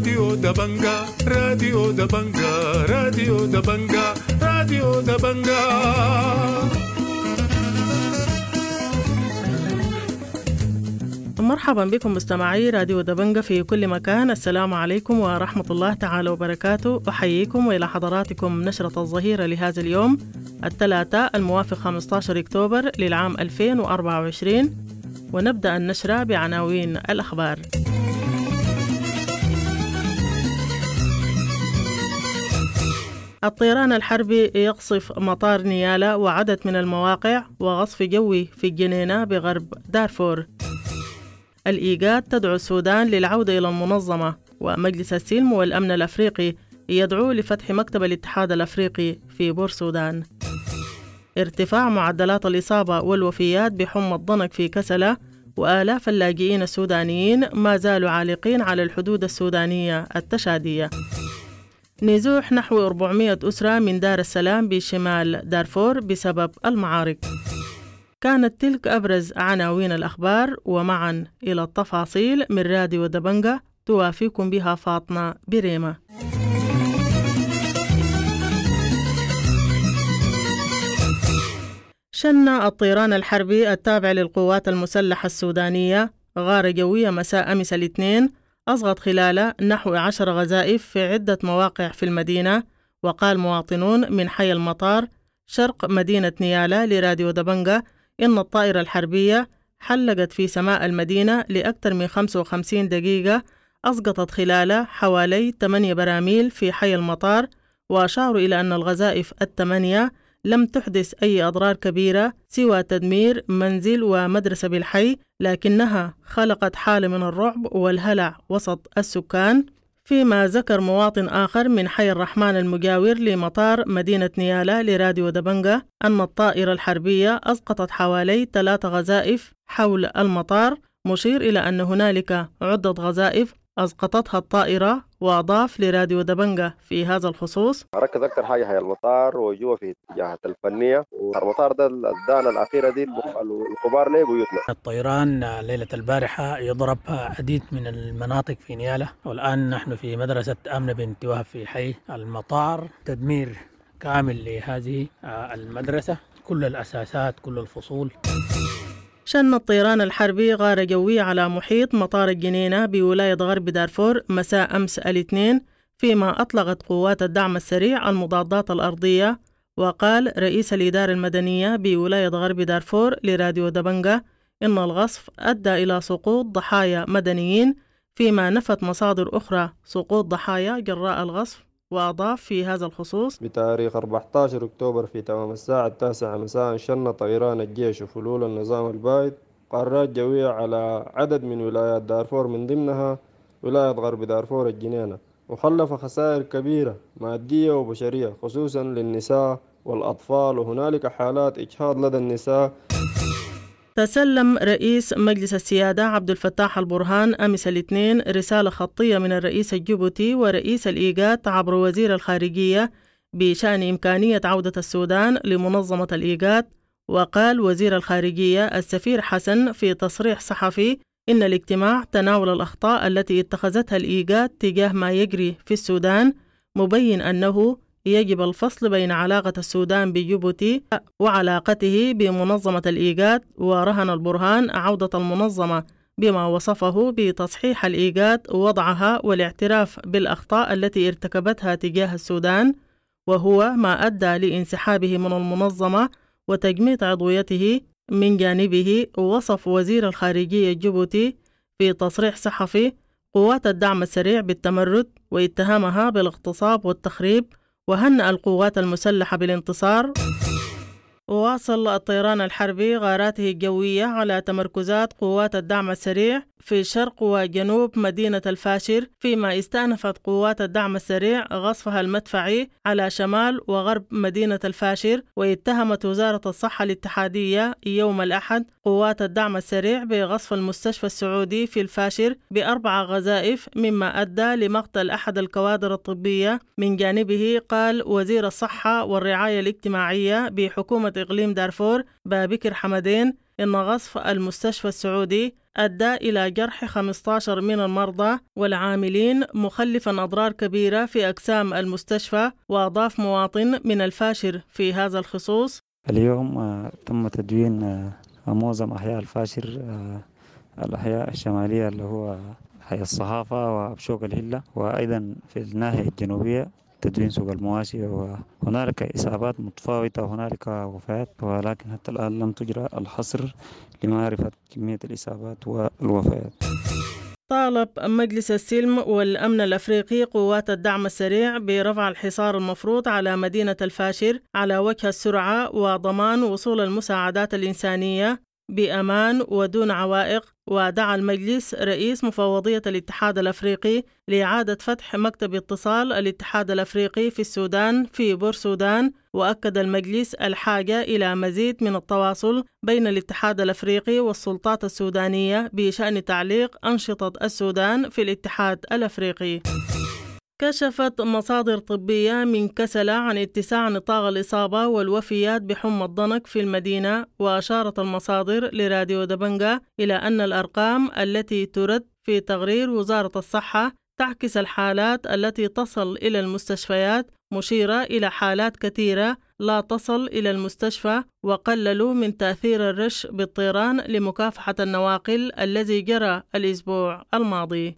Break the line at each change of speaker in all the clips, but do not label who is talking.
راديو دبنجا، راديو دبنجا، راديو دبنجا، راديو دبنجا.
مرحبا بكم مستمعي راديو دبنجة في كل مكان. السلام عليكم ورحمة الله تعالى وبركاته. أحييكم وإلى حضراتكم نشرة الظهيرة لهذا اليوم الثلاثاء الموافق 15 أكتوبر للعام 2024، ونبدأ النشرة بعناوين الأخبار. الطيران الحربي يقصف مطار نيالا وعدد من المواقع، وغصف جوي في الجنينة بغرب دارفور. الإيجاد تدعو السودان للعودة إلى المنظمة، ومجلس السلم والأمن الأفريقي يدعو لفتح مكتب الاتحاد الأفريقي في بور سودان. ارتفاع معدلات الإصابة والوفيات بحمى الضنك في كسلة، وآلاف اللاجئين السودانيين ما زالوا عالقين على الحدود السودانية التشادية. نزوح نحو 400 أسرة من دار السلام بشمال دارفور بسبب المعارك. كانت تلك أبرز عناوين الأخبار، ومعا إلى التفاصيل من راديو دبنجة توافيكم بها فاطمة بريمة. شن الطيران الحربي التابع للقوات المسلحة السودانية غارة جوية مساء أمس الاثنين أصغت خلال نحو 10 غزائف في عدة مواقع في المدينة. وقال مواطنون من حي المطار شرق مدينة نيالا لراديو دبنجة إن الطائرة الحربية حلقت في سماء المدينة لأكثر من 55 دقيقة، أسقطت خلالها حوالي 8 براميل في حي المطار. وأشاروا إلى أن الغزائف ال8 لم تحدث أي أضرار كبيرة سوى تدمير منزل ومدرسة بالحي، لكنها خلقت حالة من الرعب والهلع وسط السكان. فيما ذكر مواطن آخر من حي الرحمن المجاور لمطار مدينة نيالا لراديو دبنجة أن الطائرة الحربية أسقطت حوالي 3 غزائف حول المطار، مشير إلى أن هنالك عدة غزائف أسقطتها الطائرة. وأضاف لراديو دبنجة في هذا الخصوص:
ركز أكثر حاجة هي المطار وجوا في اتجاهات الفنية، والمطار ده الدانة الأخيرة دي الكبار ليه بيوتنا.
الطيران ليلة البارحة يضرب عديد من المناطق في نيالا، والآن نحن في مدرسة آمنة بنت وهب في حي المطار. تدمير كامل لهذه المدرسة، كل الأساسات كل الفصول.
شن الطيران الحربي غارة جوية على محيط مطار الجنينة بولاية غرب دارفور مساء أمس الاثنين، فيما أطلقت قوات الدعم السريع المضادات الأرضية. وقال رئيس الإدارة المدنية بولاية غرب دارفور لراديو دبنجة إن الغصف أدى إلى سقوط ضحايا مدنيين، فيما نفت مصادر أخرى سقوط ضحايا جراء الغصف. وأضاف في هذا الخصوص:
بتاريخ 14 أكتوبر في تمام الساعة 9 مساء شن طيران الجيش وفلول النظام البائد قارات جوية على عدد من ولايات دارفور، من ضمنها ولاية غرب دارفور الجنينة، وخلف خسائر كبيرة مادية وبشرية خصوصا للنساء والأطفال، وهنالك حالات إجهاض لدى النساء.
تسلم رئيس مجلس السيادة عبد الفتاح البرهان أمس الاثنين رسالة خطية من الرئيس الجيبوتي ورئيس الإيجاد عبر وزير الخارجية بشأن إمكانية عودة السودان لمنظمة الإيجاد. وقال وزير الخارجية السفير حسن في تصريح صحفي إن الاجتماع تناول الأخطاء التي اتخذتها الإيجاد تجاه ما يجري في السودان، مبين أنه يجب الفصل بين علاقة السودان بجيبوتي وعلاقته بمنظمة الإيجاد. ورهن البرهان عودة المنظمة بما وصفه بتصحيح الإيجاد ووضعها والاعتراف بالأخطاء التي ارتكبتها تجاه السودان، وهو ما أدى لانسحابه من المنظمة وتجميد عضويته. من جانبه وصف وزير الخارجية الجيبوتي في تصريح صحفي قوات الدعم السريع بالتمرد واتهامها بالاغتصاب والتخريب، وهنأ القوات المسلحة بالانتصار. وواصل الطيران الحربي غاراته الجوية على تمركزات قوات الدعم السريع في شرق وجنوب مدينة الفاشر، فيما استأنفت قوات الدعم السريع غصفها المدفعي على شمال وغرب مدينة الفاشر. واتهمت وزارة الصحة الاتحادية يوم الأحد قوات الدعم السريع بغصف المستشفى السعودي في الفاشر ب4 غزائف، مما أدى لمقتل أحد الكوادر الطبية. من جانبه قال وزير الصحة والرعاية الاجتماعية بحكومة إقليم دارفور بابكر حمدين إن غصف المستشفى السعودي أدى إلى جرح 15 من المرضى والعاملين، مخلفا أضرار كبيرة في أقسام المستشفى. وأضاف مواطن من الفاشر في هذا الخصوص:
اليوم تم تدوين معظم أحياء الفاشر، الأحياء الشمالية اللي هو حي الصحافة وأبشوك الهلة، وأيضا في الناحية الجنوبية تدوين سوق المواشي، وهنالك إصابات متفاوتة وهنالك وفيات، ولكن حتى الآن لم تجرى الحصر لمعرفة كمية الإصابات والوفيات.
طالب مجلس السلم والأمن الأفريقي قوات الدعم السريع برفع الحصار المفروض على مدينة الفاشر على وجه السرعة وضمان وصول المساعدات الإنسانية بأمان ودون عوائق. ودعا المجلس رئيس مفوضية الاتحاد الأفريقي لإعادة فتح مكتب اتصال الاتحاد الأفريقي في السودان في بورسودان. وأكد المجلس الحاجة إلى مزيد من التواصل بين الاتحاد الأفريقي والسلطات السودانية بشأن تعليق أنشطة السودان في الاتحاد الأفريقي. كشفت مصادر طبية من كسلة عن اتساع نطاق الإصابة والوفيات بحمى الضنك في المدينة. وأشارت المصادر لراديو دبنجا إلى أن الأرقام التي ترد في تقرير وزارة الصحة تعكس الحالات التي تصل إلى المستشفيات، مشيرة إلى حالات كثيرة لا تصل إلى المستشفى، وقللوا من تأثير الرش بالطيران لمكافحة النواقل الذي جرى الأسبوع الماضي.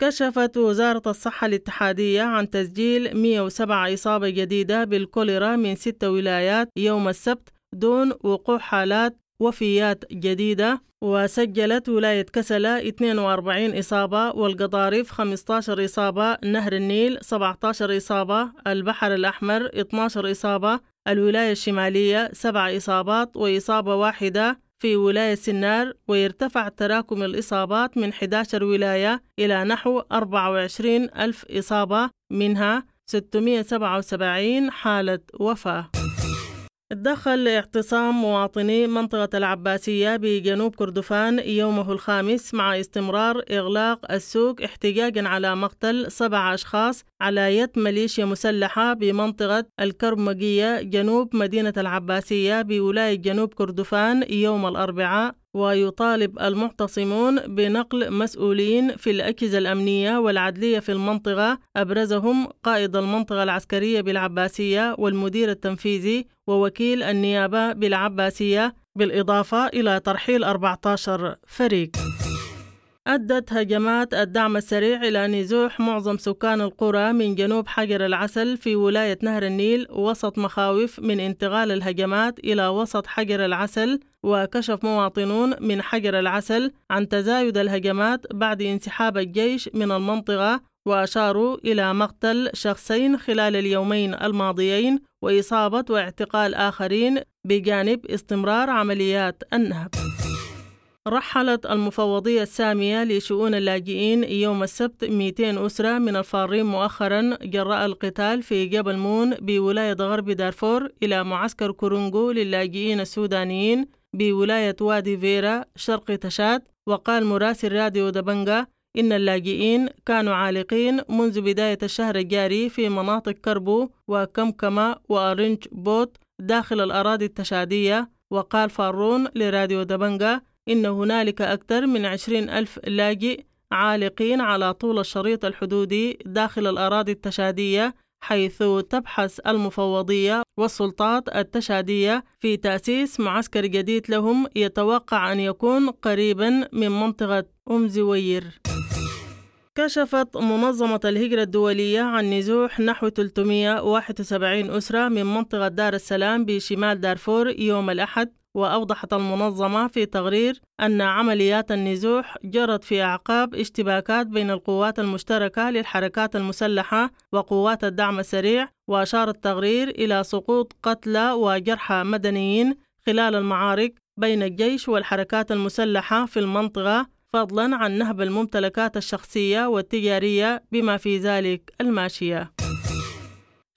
كشفت وزارة الصحة الاتحادية عن تسجيل 107 إصابة جديدة بالكوليرا من 6 ولايات يوم السبت دون وقوع حالات وفيات جديدة. وسجلت ولاية كسلة 42 إصابة، والقضارف 15 إصابة، نهر النيل 17 إصابة، البحر الأحمر 12 إصابة، الولاية الشمالية 7 إصابات وإصابة واحدة في ولاية سنار. ويرتفع تراكم الإصابات من 11 ولاية إلى نحو 24 ألف إصابة، منها 677 حالة وفاة. دخل اعتصام مواطني منطقة العباسية بجنوب كردفان يومه الخامس مع استمرار إغلاق السوق احتجاجا على مقتل 7 أشخاص على يد ميليشيا مسلحة بمنطقة الكرمجية جنوب مدينة العباسية بولاية جنوب كردفان يوم الأربعاء. ويطالب المعتصمون بنقل مسؤولين في الأجهزة الأمنية والعدلية في المنطقة، أبرزهم قائد المنطقة العسكرية بالعباسية والمدير التنفيذي ووكيل النيابة بالعباسية، بالإضافة إلى ترحيل 14 فريق. أدت هجمات الدعم السريع إلى نزوح معظم سكان القرى من جنوب حجر العسل في ولاية نهر النيل وسط مخاوف من انتقال الهجمات إلى وسط حجر العسل. وكشف مواطنون من حجر العسل عن تزايد الهجمات بعد انسحاب الجيش من المنطقة، وأشاروا إلى مقتل شخصين خلال اليومين الماضيين وإصابة واعتقال آخرين بجانب استمرار عمليات النهب. رحلت المفوضية السامية لشؤون اللاجئين يوم السبت 200 أسرة من الفارين مؤخرا جراء القتال في جبل مون بولاية غرب دارفور إلى معسكر كورونغو للاجئين السودانيين بولاية وادي فيرا شرق تشاد. وقال مراسل راديو دبنجا إن اللاجئين كانوا عالقين منذ بداية الشهر الجاري في مناطق كربو وكمكمة وأرنج بوت داخل الأراضي التشادية. وقال فارون لراديو دبنجا إن هنالك أكثر من 20 ألف لاجئ عالقين على طول الشريط الحدودي داخل الأراضي التشادية، حيث تبحث المفوضية والسلطات التشادية في تأسيس معسكر جديد لهم يتوقع أن يكون قريبا من منطقة أم زوير. كشفت منظمة الهجرة الدولية عن نزوح نحو 371 أسرة من منطقة دار السلام بشمال دارفور يوم الأحد. وأوضحت المنظمة في تقرير أن عمليات النزوح جرت في أعقاب اشتباكات بين القوات المشتركة للحركات المسلحة وقوات الدعم السريع. وأشار التقرير إلى سقوط قتلى وجرحى مدنيين خلال المعارك بين الجيش والحركات المسلحة في المنطقة، فضلا عن نهب الممتلكات الشخصية والتجارية بما في ذلك الماشية.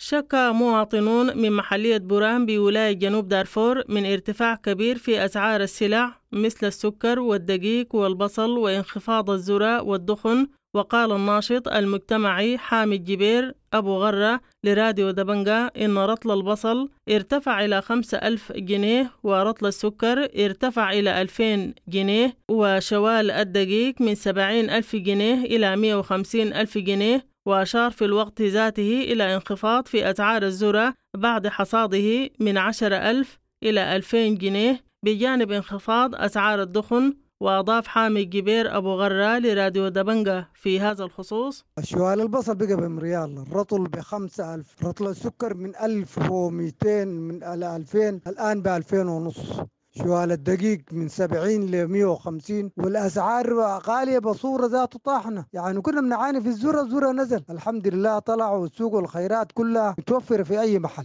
شكى مواطنون من محلية بوران بولاية جنوب دارفور من ارتفاع كبير في أسعار السلع مثل السكر والدقيق والبصل وانخفاض الذرة والدخن وقال الناشط المجتمعي حامد جبير أبو غرة لراديو دبنجا إن رطل البصل ارتفع إلى 5000 جنيه، ورطل السكر ارتفع إلى 2000 جنيه، وشوال الدقيق من 70,000 جنيه إلى 150,000 جنيه. وأشار في الوقت ذاته إلى انخفاض في أسعار الذرة بعد حصاده من 10,000 إلى 2000 جنيه، بجانب انخفاض أسعار الدخن. وأضاف حامد جبير أبو غرة لراديو دبنجة في هذا الخصوص:
شوال البصل بقى بمريال، الرطل ب5000، رطل السكر من 1200 من 2000 الآن ب2500، شوال الدقيق من 70 ل 150، والأسعار غالية بصورة ذات طاحنة. يعني كنا بنعاني في الذرة، الذرة نزل الحمد لله، طلع والسوق والخيرات كلها متوفرة في أي محل.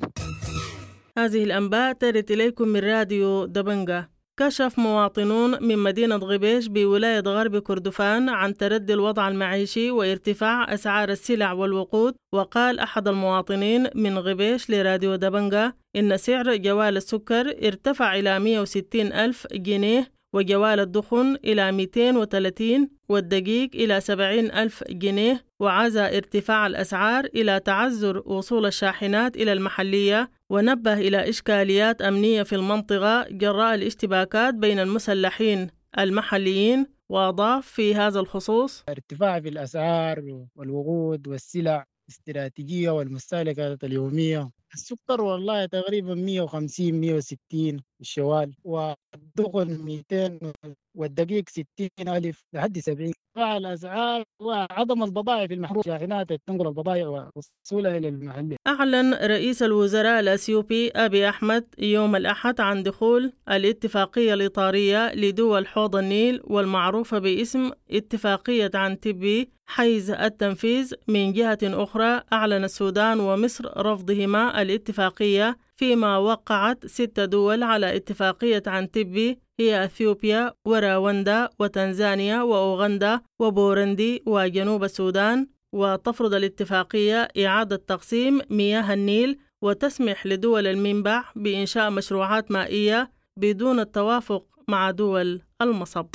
هذه الأنباء ترد إليكم من راديو دبنجة. كشف مواطنون من مدينة غبيش بولاية غرب كردفان عن تردي الوضع المعيشي وارتفاع أسعار السلع والوقود. وقال أحد المواطنين من غبيش لراديو دبنجة إن سعر جوال السكر ارتفع إلى 160 ألف جنيه، وجوال الدخن إلى 230، والدقيق إلى 70 ألف جنيه. وعزى ارتفاع الأسعار إلى تعذر وصول الشاحنات إلى المحلية، ونبه إلى إشكاليات أمنية في المنطقة جراء الاشتباكات بين المسلحين المحليين. وأضاف في هذا الخصوص:
ارتفاع في الأسعار والوقود والسلع الاستراتيجية والمستهلكات اليومية. السكر والله تقريبا 150 160 الشوال، والدخن 200، والدقيق 60,000 لحد 70. ارتفاع الأسعار وعدم البضائع في المحروق، شاحنات تنقل البضائع ووصولها إلى المحلية.
أعلن رئيس الوزراء الأثيوبي أبي أحمد يوم الأحد عن دخول الاتفاقية الإطارية لدول حوض النيل والمعروفة باسم اتفاقية عنتبي حيز التنفيذ. من جهة أخرى، أعلن السودان ومصر رفضهما الاتفاقية، فيما وقعت 6 دول على اتفاقية عنتبي هي أثيوبيا وراوندا وتنزانيا وأوغندا وبورندي وجنوب السودان. وتفرض الاتفاقية إعادة تقسيم مياه النيل وتسمح لدول المنبع بإنشاء مشروعات مائية بدون التوافق مع دول المصب.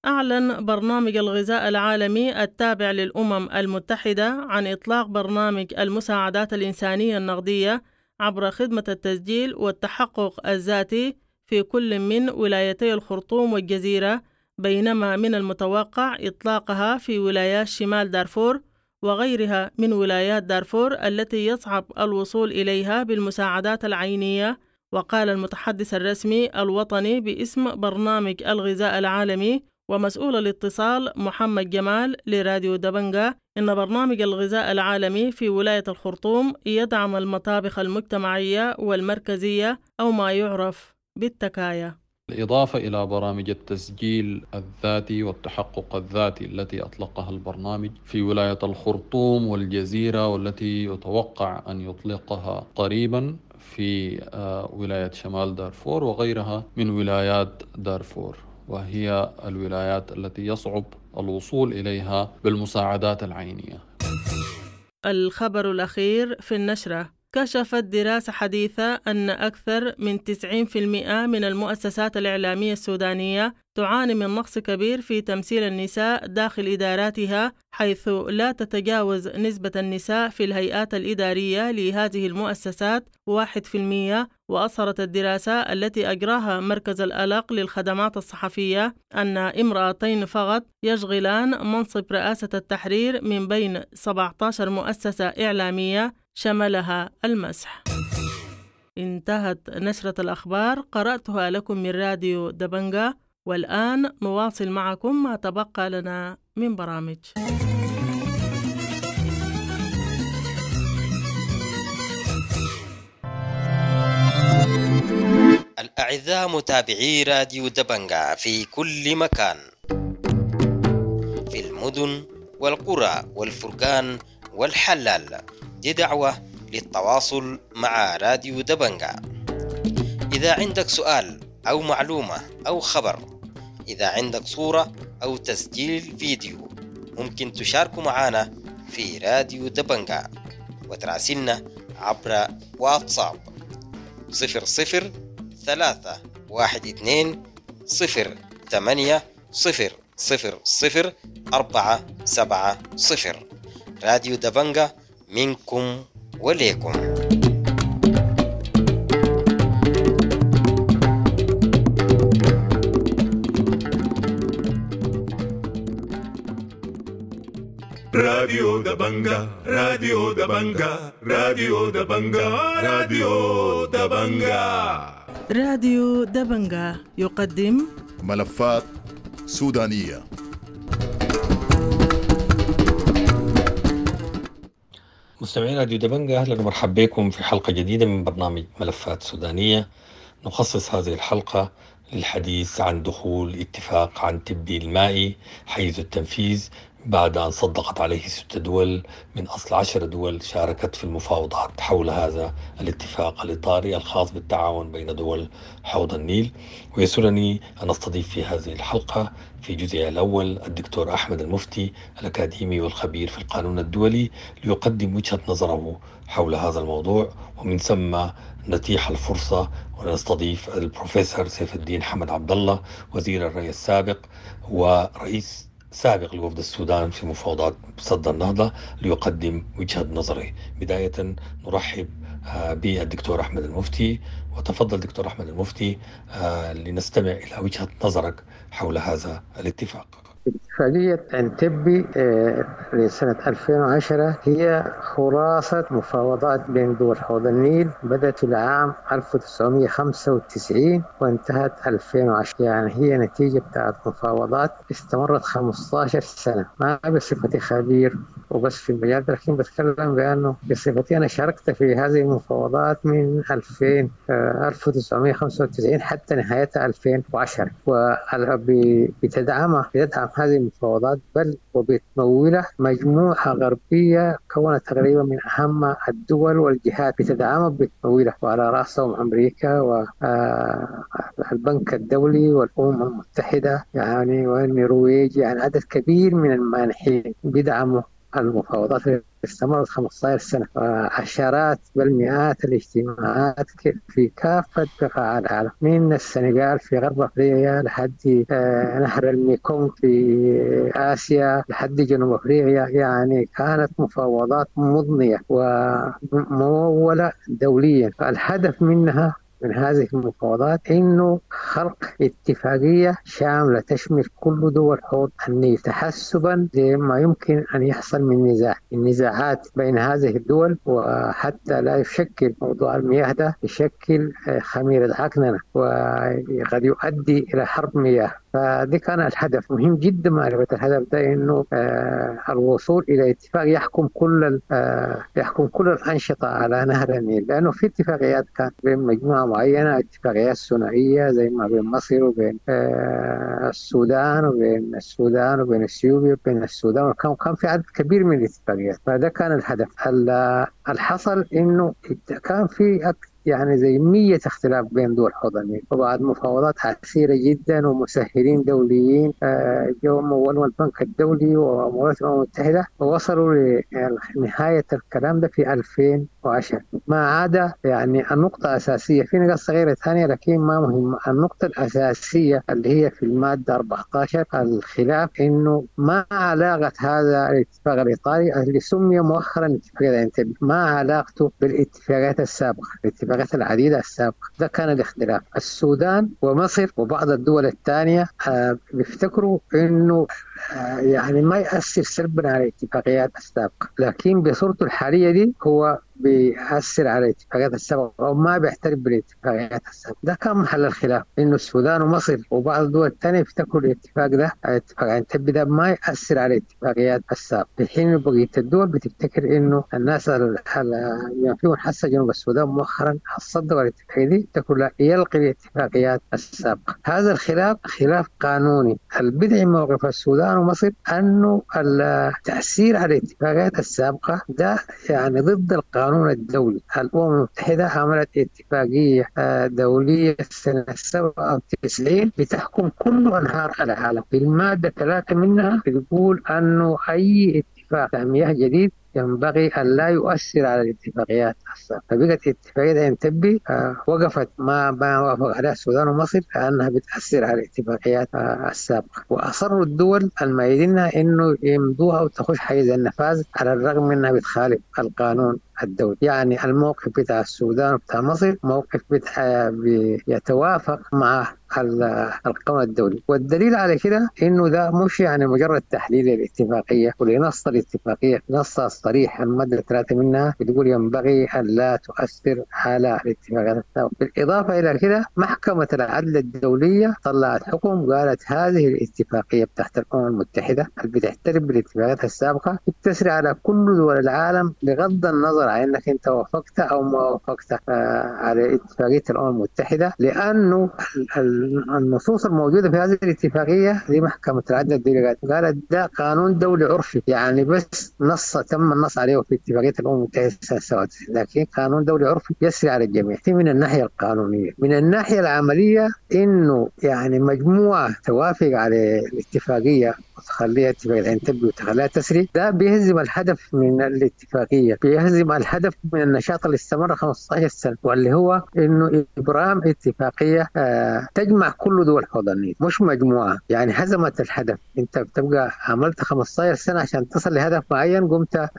أعلن برنامج الغذاء العالمي التابع للأمم المتحدة عن إطلاق برنامج المساعدات الإنسانية النقدية عبر خدمة التسجيل والتحقق الذاتي في كل من ولايتي الخرطوم والجزيرة، بينما من المتوقع إطلاقها في ولايات شمال دارفور وغيرها من ولايات دارفور التي يصعب الوصول إليها بالمساعدات العينية. وقال المتحدث الرسمي الوطني باسم برنامج الغذاء العالمي ومسؤول الاتصال محمد جمال لراديو دبنجة إن برنامج الغذاء العالمي في ولاية الخرطوم يدعم المطابخ المجتمعية والمركزية أو ما يعرف بالتكايا.
بالإضافة إلى برامج التسجيل الذاتي والتحقق الذاتي التي أطلقها البرنامج في ولاية الخرطوم والجزيرة، والتي يتوقع أن يطلقها قريبا في ولاية شمال دارفور وغيرها من ولايات دارفور، وهي الولايات التي يصعب الوصول إليها بالمساعدات العينية.
الخبر الأخير في النشرة: كشفت دراسة حديثة أن أكثر من 90% من المؤسسات الإعلامية السودانية تعاني من نقص كبير في تمثيل النساء داخل إداراتها، حيث لا تتجاوز نسبة النساء في الهيئات الإدارية لهذه المؤسسات 1%. وأظهرت الدراسة التي أجراها مركز الألق للخدمات الصحفية أن امرأتين فقط يشغلان منصب رئاسة التحرير من بين 17 مؤسسة إعلامية شملها المسح. انتهت نشرة الأخبار، قرأتها لكم من راديو دبنجة، والآن نواصل معكم ما تبقى لنا من برامج.
الأعزاء متابعي راديو دبنجة في كل مكان، في المدن والقرى والفرقان والحلال، دي دعوة للتواصل مع راديو دبنجة. إذا عندك سؤال أو معلومة أو خبر، إذا عندك صورة أو تسجيل فيديو، ممكن تشاركوا معنا في راديو دبنجة وتراسلنا عبر واتساب 00 3 1 2 0 8 0 0 0 4 7 0. راديو دبنجا، منكم وليكم.
راديو دبنجا، راديو دبنجا، راديو دبنجا، راديو دبنجا.
راديو دبنجا يقدم
ملفات سودانية.
مستمعين راديو دبنجا، أهلا ومرحبا بكم في حلقة جديدة من برنامج ملفات سودانية. نخصص هذه الحلقة للحديث عن دخول اتفاق عنتبي المائي حيز التنفيذ بعد أن صدقت عليه 6 دول من أصل 10 دول شاركت في المفاوضات حول هذا الاتفاق الإطاري الخاص بالتعاون بين دول حوض النيل. ويسرني أن أستضيف في هذه الحلقة في جزئها الأول الدكتور أحمد المفتي، الأكاديمي والخبير في القانون الدولي، ليقدم وجهة نظره حول هذا الموضوع، ومن ثم نتيح الفرصة ونستضيف البروفيسور سيف الدين حمد عبد الله، وزير الري السابق ورئيس سابق لوفد السودان في مفاوضات سد النهضة، ليقدم وجهة نظره. بداية نرحب بالدكتور أحمد المفتي، وتفضل دكتور أحمد المفتي لنستمع إلى وجهة نظرك حول هذا الاتفاق.
اتفاقية عنتبي لسنة 2010 هي خلاصة مفاوضات بين دول حوض النيل، بدأت في العام 1995 وانتهت 2010. يعني هي نتيجة بتاعت مفاوضات استمرت 15 سنة. ما بصفتي خبير وبس في المجال، لكن بتكلم بأنه بصفتي أنا شاركت في هذه المفاوضات من 1995 حتى نهايتها 2010، وبتدعمها بتدعم هذه المفاوضات بل وبتمولها مجموعة غربية كونت تقريبا من أهم الدول والجهات بتدعمها بتمويلها، وعلى رأسهم أمريكا والبنك الدولي والأمم المتحدة يعني والنرويج، يعني عدد كبير من المانحين بيدعموا المفاوضات اللي استمرت 15 سنة، عشرات بل مئات الاجتماعات في كافة بقاع العالم، من السنغال في غرب أفريقيا لحد نهر الميكونغ في آسيا لحد جنوب أفريقيا. يعني كانت مفاوضات مضنية وممولة دوليا. الهدف منها من هذه المفاوضات إنه خلق اتفاقية شاملة تشمل كل دول حوض النيل، تحسبا لما يمكن أن يحصل من النزاعات بين هذه الدول، وحتى لا يشكل موضوع المياه ده يشكل خميرة عكننة وقد يؤدي إلى حرب مياه. فدي كان الهدف. مهم جدا معرفة الهدف ده، إنه الوصول إلى اتفاق يحكم كل يحكم كل الأنشطة على نهر النيل، لأنه في اتفاقيات كانت بين مجموعة معينة، اتفاقيات ثنائية زي ما بين مصر وبين السودان وبين السودان وبين اثيوبيا وبين السودان، وكان في عدد كبير من الاتفاقيات. فده كان الهدف. الحصل إنه كان في يعني زي 100 اختلاف بين دول حوض النيل، وبعد مفاوضات عسيرة جدا ومسهلين دوليين جو مولوا البنك الدولي ومولات الأمم المتحدة، ووصلوا لنهاية الكلام ده في 2010. ما عدا يعني النقطة الأساسية، في نقاط صغيرة ثانية لكن ما مهمة. النقطة الأساسية اللي هي في المادة 14، الخلاف إنه ما علاقة هذا الاتفاق الإطاري اللي سمي مؤخرا اتفاقية عنتبي، ما علاقته بالاتفاقيات السابقة، الاتفاقات العديدة السابقة. ده كان الاختلاف. السودان ومصر وبعض الدول الثانية بيفتكروا إنه يعني ما يأثر سلبا على الاتفاقيات السابقة، لكن بصورته الحالية دي هو بيأثر على الاتفاقيات السابقة أو ما بيعترف بالاتفاقيات السابقة. ده كان محل الخلاف، إنه السودان ومصر وبعض الدول الثانية يفتكروا الاتفاق ده، اتفاق عنتبي ده، ما يأثر على الاتفاقيات السابقة، في حين بقية الدول بتفتكر إنه الناس اللي فيهم حاسة جنوب السودان مؤخرا صدقوا الاتفاقية دي، يفتكروا لا يلغي الاتفاقيات السابقة. هذا الخلاف خلاف قانوني. البدع موقف السودان ومصر أنه التأثير على الاتفاقيات السابقة ده يعني ضد القانون الدولي. الأمم المتحدة عملت اتفاقية دولية سنة 97 بتحكم كل أنهار العالم. في المادة 3 منها بتقول أنه أي اتفاق مياه جديد ينبغي أن لا يؤثر على الاتفاقيات السابقة. فبقت اتفاقية انتبي وقفت، ما وافق عليها السودان ومصر لأنها بتأثر على الاتفاقيات السابقة، وأصروا الدول المايدينها إنه يمضوها وتخش حيز النفاذ على الرغم منها بتخالف القانون الدولي. يعني الموقف بتاع السودان وبتاع مصر موقف بيتوافق مع القانون الدولي. والدليل على كده انه ده مش يعني مجرد تحليل للاتفاقيه ولنص الاتفاقيه، نصها الصريح الماده 3 منها بتقول ينبغي ان لا تؤثر على الاتفاقيات السابقه. بالاضافه الى كده محكمه العدل الدوليه طلعت حكم قالت هذه الاتفاقيه بتاعت الامم المتحده اللي بتعترف بالاتفاقيات السابقه بتسري على كل دول العالم بغض النظر عن انك انت وافقت او ما وافقت على اتفاقيه الامم المتحده، لانه النصوص الموجودة في هذه الاتفاقية دي محكمة العدل الدولية قالت ده قانون دولي عرفي، يعني بس نص تم النص عليه في اتفاقية الأمم المتحدة سنة 97، لكن قانون دولي عرفي يسري على الجميع. دي من الناحية القانونية. من الناحية العملية إنه يعني مجموعة توافق على الاتفاقية وتخليها اتفاقية عنتبي وتخليها تسري، ده بيهزم الهدف من الاتفاقية، بيهزم الهدف من النشاط اللي استمر 15 سنة، واللي هو إنه إبرام اتفاقية تجمع كل دول حوض النيل، مش مجموعة. يعني هزمت الهدف، أنت بتبقى عملت 15 سنة عشان تصل لهدف معين، قمت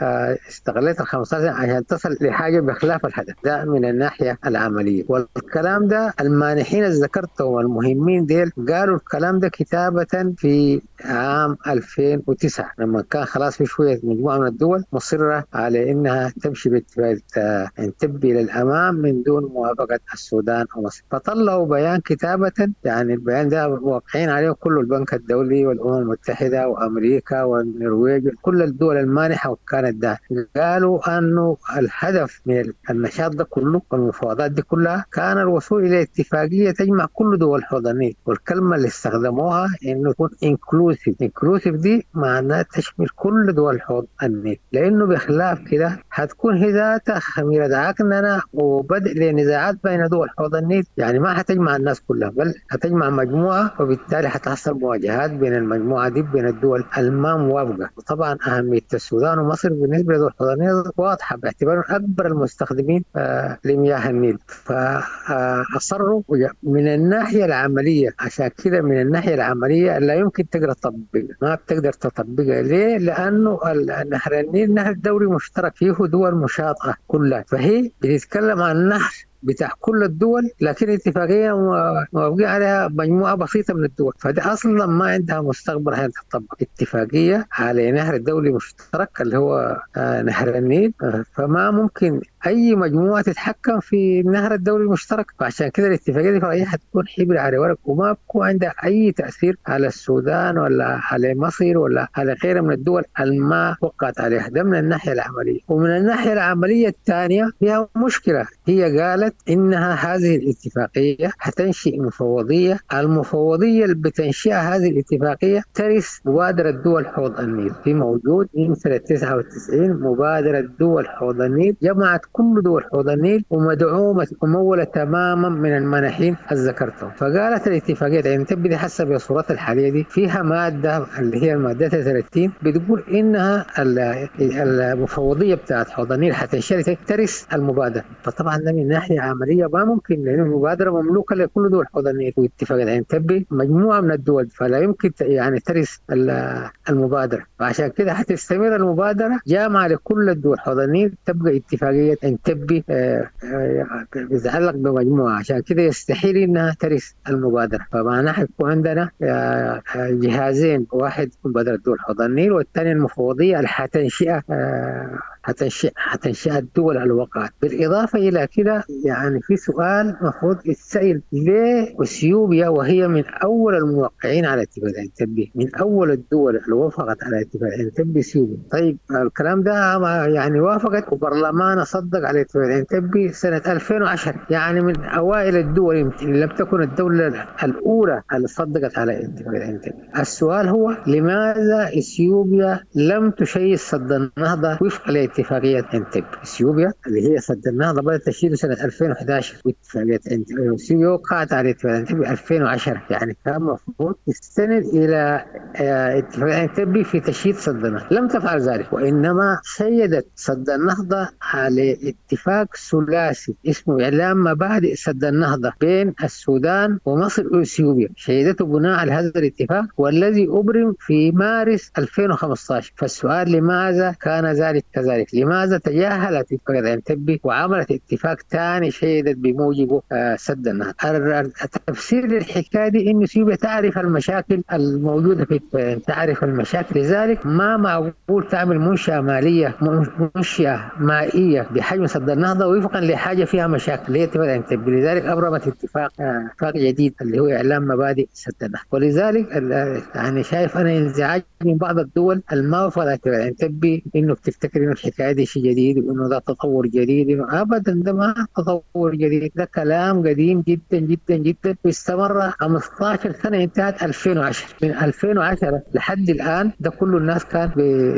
استغليت ال 15 سنة عشان تصل لحاجة بخلاف الهدف ده من الناحية العملية. والكلام ده المانحين اللي ذكرتهم المهمين ديل قالوا الكلام ده كتابة في عام 2009 لما كان خلاص في شوية مجموعة من الدول مصرة على إنها تمشي باتفاقية عنتبي للأمام من دون موافقة السودان ومصر، فطلعوا بيان كتابة. يعني البيان ده واقعين عليه كل البنك الدولي والأمم المتحدة وأمريكا والنرويج، كل الدول المانحة وكانت ده. قالوا أنه الهدف من النشاط ده كله والمفاوضات دي كلها كان الوصول إلى اتفاقية تجمع كل دول حوض النيل، والكلمة اللي استخدموها إنه يكون inclusive. inclusive دي معناها تشمل كل دول حوض النيل، لأنه بخلاف كده هتكون هي ذاتها خميرة عكننة وبدء لنزاعات بين دول حوض النيل. يعني ما هتجمع الناس كلها بل هتجمع مجموعة، وبالتالي هتحصل مواجهات بين المجموعة دي بين الدول الما موافقة. وطبعا أهمية السودان ومصر بالنسبة لدول حوض النيل واضحة باعتبارهم أكبر المستخدمين لمياه النيل، فأصروا من الناحية العملية. عشان كده من الناحية العملية لا يمكن تقدر تطبقها، ما بتقدر تطبقها. ليه؟ لأنه نهر النيل نهر دولي مشترك فيه دول مشاطئة كلها، فهي بتتكلم عن نهر بتاع كل الدول، لكن اتفاقية موافقين عليها مجموعة بسيطة من الدول، فده أصلا ما عندها مستقبل عشان تطبق اتفاقية على نهر دولي مشترك اللي هو نهر النيل. فما ممكن أي مجموعة تتحكم في النهر الدولي المشترك، فعشان كده الاتفاقية دي فرعية حتكون حبر على ورق وما بكون عندها أي تأثير على السودان ولا على مصر ولا على غيرها من الدول الما وقعت عليها. ده من الناحية العملية. ومن الناحية العملية الثانية فيها مشكلة، هي قالت إنها هذه الاتفاقية حتنشئ مفوضية، المفوضية اللي بتنشئها هذه الاتفاقية ترث مبادرة دول حوض النيل. في موجود من سنة 99 مبادرة دول حوض النيل جمعت كل دول حوض النيل ومدعومة وممولة تماما من المانحين اللي ذكرتهم. فقالت الاتفاقية يعني تبدي حسب صورتها الحالية دي فيها مادة اللي هي المادة 30 بتقول إنها المفوضية بتاعت حوض النيل حتنشئ ترث المبادرة. فطبعا ده من ناحية عملية ما ممكن، لأن المبادرة مملوكة لكل دول حوض النيل واتفاقية عنتبي مجموعة من الدول، فلا يمكن يعني ترث المبادرة. فعشان كده حتستمر المبادرة جامعة لكل الدول حوض النيل، تبقى اتفاقية عنتبي بتتعلق بمجموعة، عشان كده يستحيل إنها ترث المبادرة. فمعناها حيكون عندنا جهازين، واحد مبادرة دول حوض النيل والثاني المفوضية اللي حتنشئ الدول اللي وقعت. بالإضافة إلى كده يعني في سؤال مفروض يتسأل، ليه اثيوبيا وهي من أول الموقعين على اتفاقية عنتبي، من أول الدول اللي وافقت على اتفاقية عنتبي اثيوبيا؟ طيب الكلام ده يعني وافقت وبرلمان صدق على اتفاقية عنتبي سنة 2010، يعني من أوائل الدول يمكن لم تكن الدولة الأولى اللي صدقت على اتفاقية عنتبي. السؤال هو لماذا اثيوبيا لم تشيد سد النهضة وفق الاتفاقية اتفاقية انتب. اثيوبيا اللي هي سد النهضة بدأت تشييده سنة 2011، واتفاقية اثيوبيا وقعت على اتفاقية انتبي 2010، يعني كان المفروض تستند الى اتفاقية انتبي في تشييد سد النهضة، لم تفعل ذلك، وانما شيدت سد النهضة على اتفاق ثلاثي اسمه اعلان مبادئ سد النهضة بين السودان ومصر واثيوبيا، شيدته بناء على هذا الاتفاق والذي ابرم في مارس 2015. فالسؤال لماذا كان ذلك كذلك؟ لماذا تجاهلت اتفاقية انتبي وعملت اتفاق ثاني شيدت بموجبه سد النهضة؟ التفسير للحكايه دي انه اثيوبيا تعرف المشاكل الموجودة في، تعرف المشاكل، لذلك ما معقول تعمل منشاه ماليه، منشاه مائية بحجم سد النهضة وفقا لحاجة فيها مشاكل اللي هي اتفاق انتبي. لذلك ابرمت اتفاق جديد اللي هو اعلان مبادئ سد النهضة. ولذلك يعني شايف انا انزعاج من بعض الدول الموافقة على اتفاق انتبي انه بتفتكر انه الحكاية دي شيء جديد وانه ده تطور جديد. ابدا ده ما تطور جديد، ده كلام قديم جدا جدا جدا واستمر 15 سنة، انتهت 2010. من 2010 لحد الان ده كل الناس كانت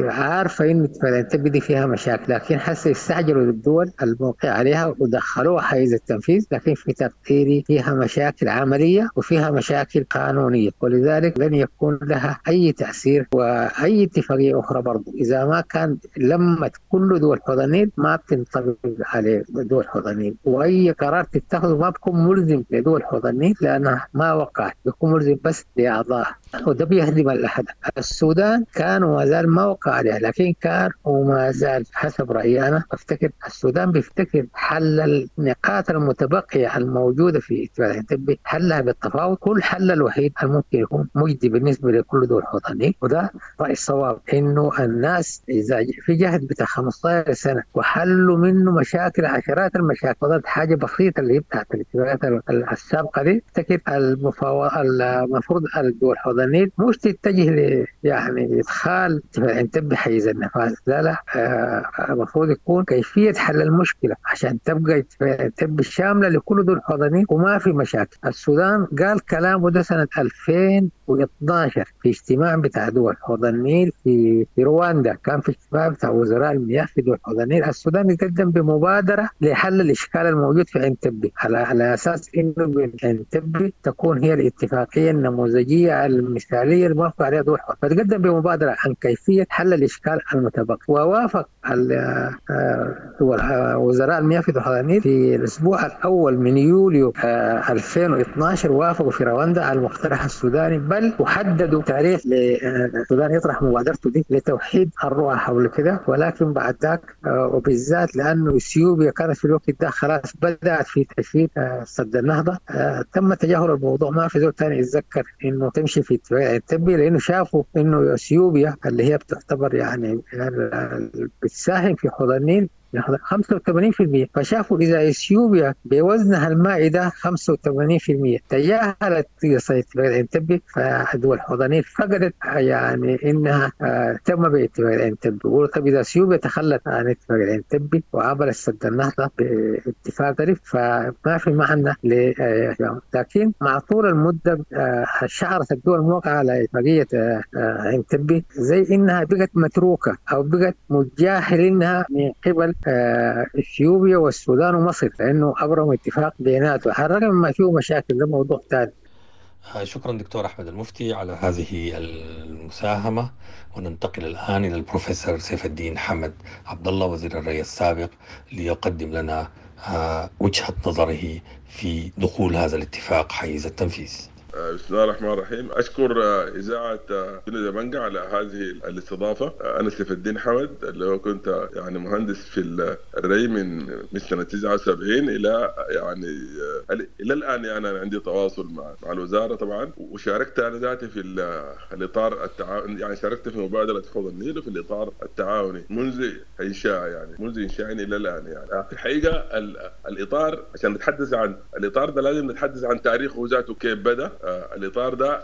عارفه انه اتفاق انتبي دي فيها مشاكل، لكن حسي استعجلوا الدول الموقع عليها ودخلوها حيز التنفيذ، لكن في تقديري فيها مشاكل عملية وفيها مشاكل قانونية، ولذلك لن يكون لها اي تاثير. واي اتفاقية اخرى برضه اذا ما كان لمت كل دول حوض النيل ما بتنطبق على دول حوض النيل، واي قرار تتخذه ما بيكون ملزم لدول حوض النيل لانها ما وقعت، بيكون ملزم بس لاعضائها، وده بيهدم الهدف. السودان كان وما زال ما وقع عليها، لكن كان وما زال حسب رايي انا افتكر السودان بيفتكر حل النقاط المتبقية الموجودة في اتفاق انتبي حلها بالتفاوض، كل حل الوحيد الممكن يكون مجدي بالنسبة لكل دول حوض النيل. وده راي الصواب، انه الناس اذا في جهد بتاع 15 سنة وحلوا منه مشاكل، عشرات المشاكل، فضلت حاجة بسيطة اللي هي بتاعت الاتفاقيات السابقة دي. افتكر المفروض الدول حوض النيل مش تتجه ل يعني ادخال اتفاق انتبي حيز النفاذ، لا لا، المفروض يكون كيفية حل المشكلة عشان تبقى اتفاق انتبي شاملة لكل دول حوض النيل وما في مشاكل. السودان قال كلامه ده سنة 2012 في اجتماع بتاع دول حوض النيل في رواندا، كان في اجتماع بتاع وزراء المياه في دول حوض النيل. السودان يقدم بمبادرة لحل الاشكال الموجود في انتبي على اساس انه انتبي تكون هي الاتفاقية النموذجيه المثالية الموافقة عليها دول حوض، فتقدم بمبادرة عن كيفية حل الاشكال المتبقي، ووافق وزراء المياه في دول حوض النيل في الاسبوع الاول من يوليو 2012، وافقوا في رواندا على المقترح السوداني، بل وحددوا تاريخ للسودان يطرح مبادرته دي لتوحيد الرؤى حول كده. ولكن بعد ذاك وبالذات لانه اثيوبيا كانت في الوقت ده خلاص بدات في تشييد سد النهضة، تم تجاهل الموضوع، ما في زول ثاني يتذكر انه تمشي في اتفاق انتبي، لانه شافوا انه اثيوبيا اللي هي بتعتبر يعني بتساهم في حوض النيل 85%، فشافوا إذا إثيوبيا بوزنها المائي ده 85% تجاهلت اتفاق انتبي، فدول حوض النيل فقدت يعني إنها تم باتفاق انتبي. بيقولوا طب إذا إثيوبيا تخلت عن اتفاق انتبي وعملت سد النهضة باتفاق ظريف فما في معنى لكن مع طول المدة شعرت الدول الموقعة على اتفاقية انتبي زي إنها بقت متروكة أو بقت متجاهل إنها من قبل اثيوبيا والسودان ومصر، لانه ابرموا اتفاق بيناتهم على الرغم ما فيه مشاكل، ده موضوع ثاني.
شكرا دكتور احمد المفتي على هذه المساهمة، وننتقل الان الى البروفيسور سيف الدين حمد عبد الله وزير الري السابق ليقدم لنا وجهه نظره في دخول هذا الاتفاق حيز التنفيذ.
بسم الله الرحمن الرحيم. أشكر إذاعة دبنجة على هذه الاستضافة. أنا سيف الدين حمد اللي هو كنت يعني مهندس في الري من سنة 79 إلى يعني إلى الآن، يعني أنا عندي تواصل مع الوزارة طبعا، وشاركت أنا ذاتي في الإطار التعاون، يعني شاركت في مبادرة حوض النيل وفي الإطار التعاوني منذ إنشاء، يعني منذ إنشائي إلى الآن. يعني في الحقيقة الإطار، عشان نتحدث عن الإطار ده لازم نتحدث عن تاريخه ذاته كيف بدأ. الإطار ده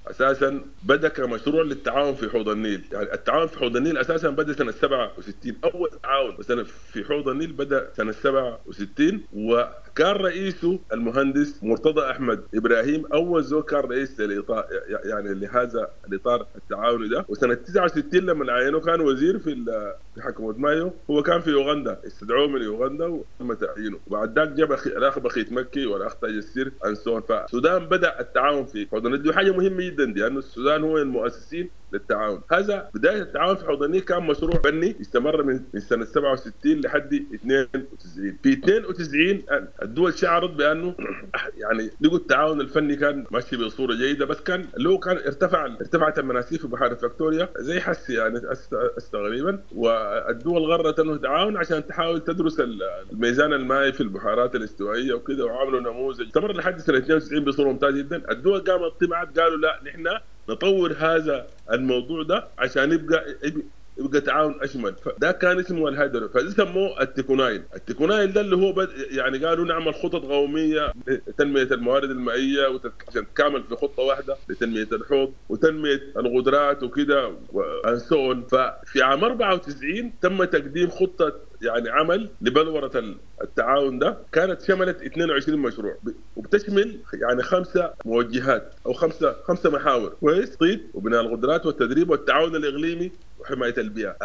اساسا بدا كمشروع للتعاون في حوض النيل. يعني التعاون في حوض النيل اساسا بدا سنة 67، اول تعاون مثلا في حوض النيل بدا سنة 67، وكان رئيسه المهندس مرتضى احمد ابراهيم، اول زول كان رئيس للاطار يعني لهذا الاطار التعاوني ده. وسنة 69 لما عينوه كان وزير في حكومة مايو، هو كان في يوغندا، استدعوه من يوغندا وتم تعيينه. وبعد ذاك جاب الاخ بخيت مكي والاخ تاج السر انسون. فالسودان بدا التعاون في حوض النيل، دي حاجة مهمة جدا دي، لانه السودان هو المؤسسين للتعاون. هذا بداية التعاون في حوض النيل كان مشروع فني استمر من سنة 67 لحد 92. في 92 الدول شعرت بانه يعني لقوا التعاون الفني كان ماشي بصورة جيدة، بس كان اللي هو كان ارتفعت المناسيب في بحيرة فاكتوريا زي حس يعني تقريبا، والدول غرت انه تعاون عشان تحاول تدرس الميزان المائي في البحيرات الاستوائيه وكذا، وعملوا نموذج استمر لحد سنة 92 بصورة ممتازة جدا. الدول قامت طمعت، قالوا لا نحن نطور هذا الموضوع ده عشان يبقى تعاون اشمل. فده كان اسمه الهيدرو، فده سموه التيكونايل. التيكونايل ده اللي هو يعني قالوا نعمل خطط قومية لتنميه الموارد المائية عشان تكامل في خطه واحدة لتنميه الحوض وتنميه القدرات وكده and so on. ففي عام 94 تم تقديم خطه يعني عمل لبلورة التعاون ده، كانت شملت 22 مشروع وبتشمل يعني 5 موجهات او خمسة محاور، كويس، تخطيط وبناء القدرات والتدريب والتعاون الاقليمي وحماية البيئة.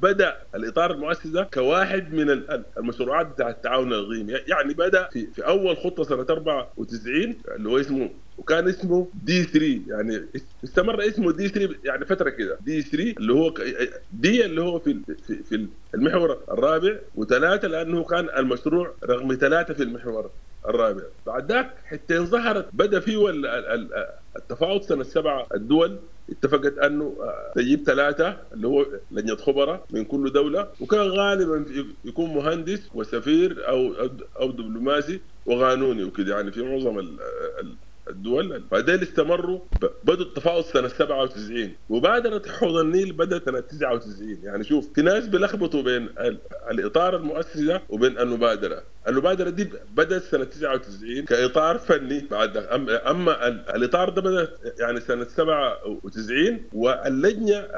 بدا الاطار المؤسس ده كواحد من المشروعات بتاع التعاون الاقليمي. يعني بدا في اول خطه سنة 94 اللي هو اسمه، وكان اسمه D 3، يعني استمر اسمه D 3 يعني فترة كده، D 3 اللي هو D اللي هو في في المحور الرابع، وثلاثة لانه كان المشروع رقم 3 في المحور الرابع. بعد ذاك حتى ظهرت بدا فيه التفاوض سنة 7، الدول اتفقت انه تجيب 3 اللي هو لجنة خبراء من كل دولة، وكان غالبا يكون مهندس وسفير او دبلوماسي وقانوني وكده، يعني في معظم الدول. فديل استمروا، بدوا التفاوض سنة 97، وبادره حوض النيل بدات سنة 99. يعني شوف في ناس بيلخبطوا بين الاطار المؤسسي ده وبين المبادرة. المبادرة دي بدات سنة 99 كاطار فني بعد، اما الاطار ده بدا يعني سنة 97، واللجنة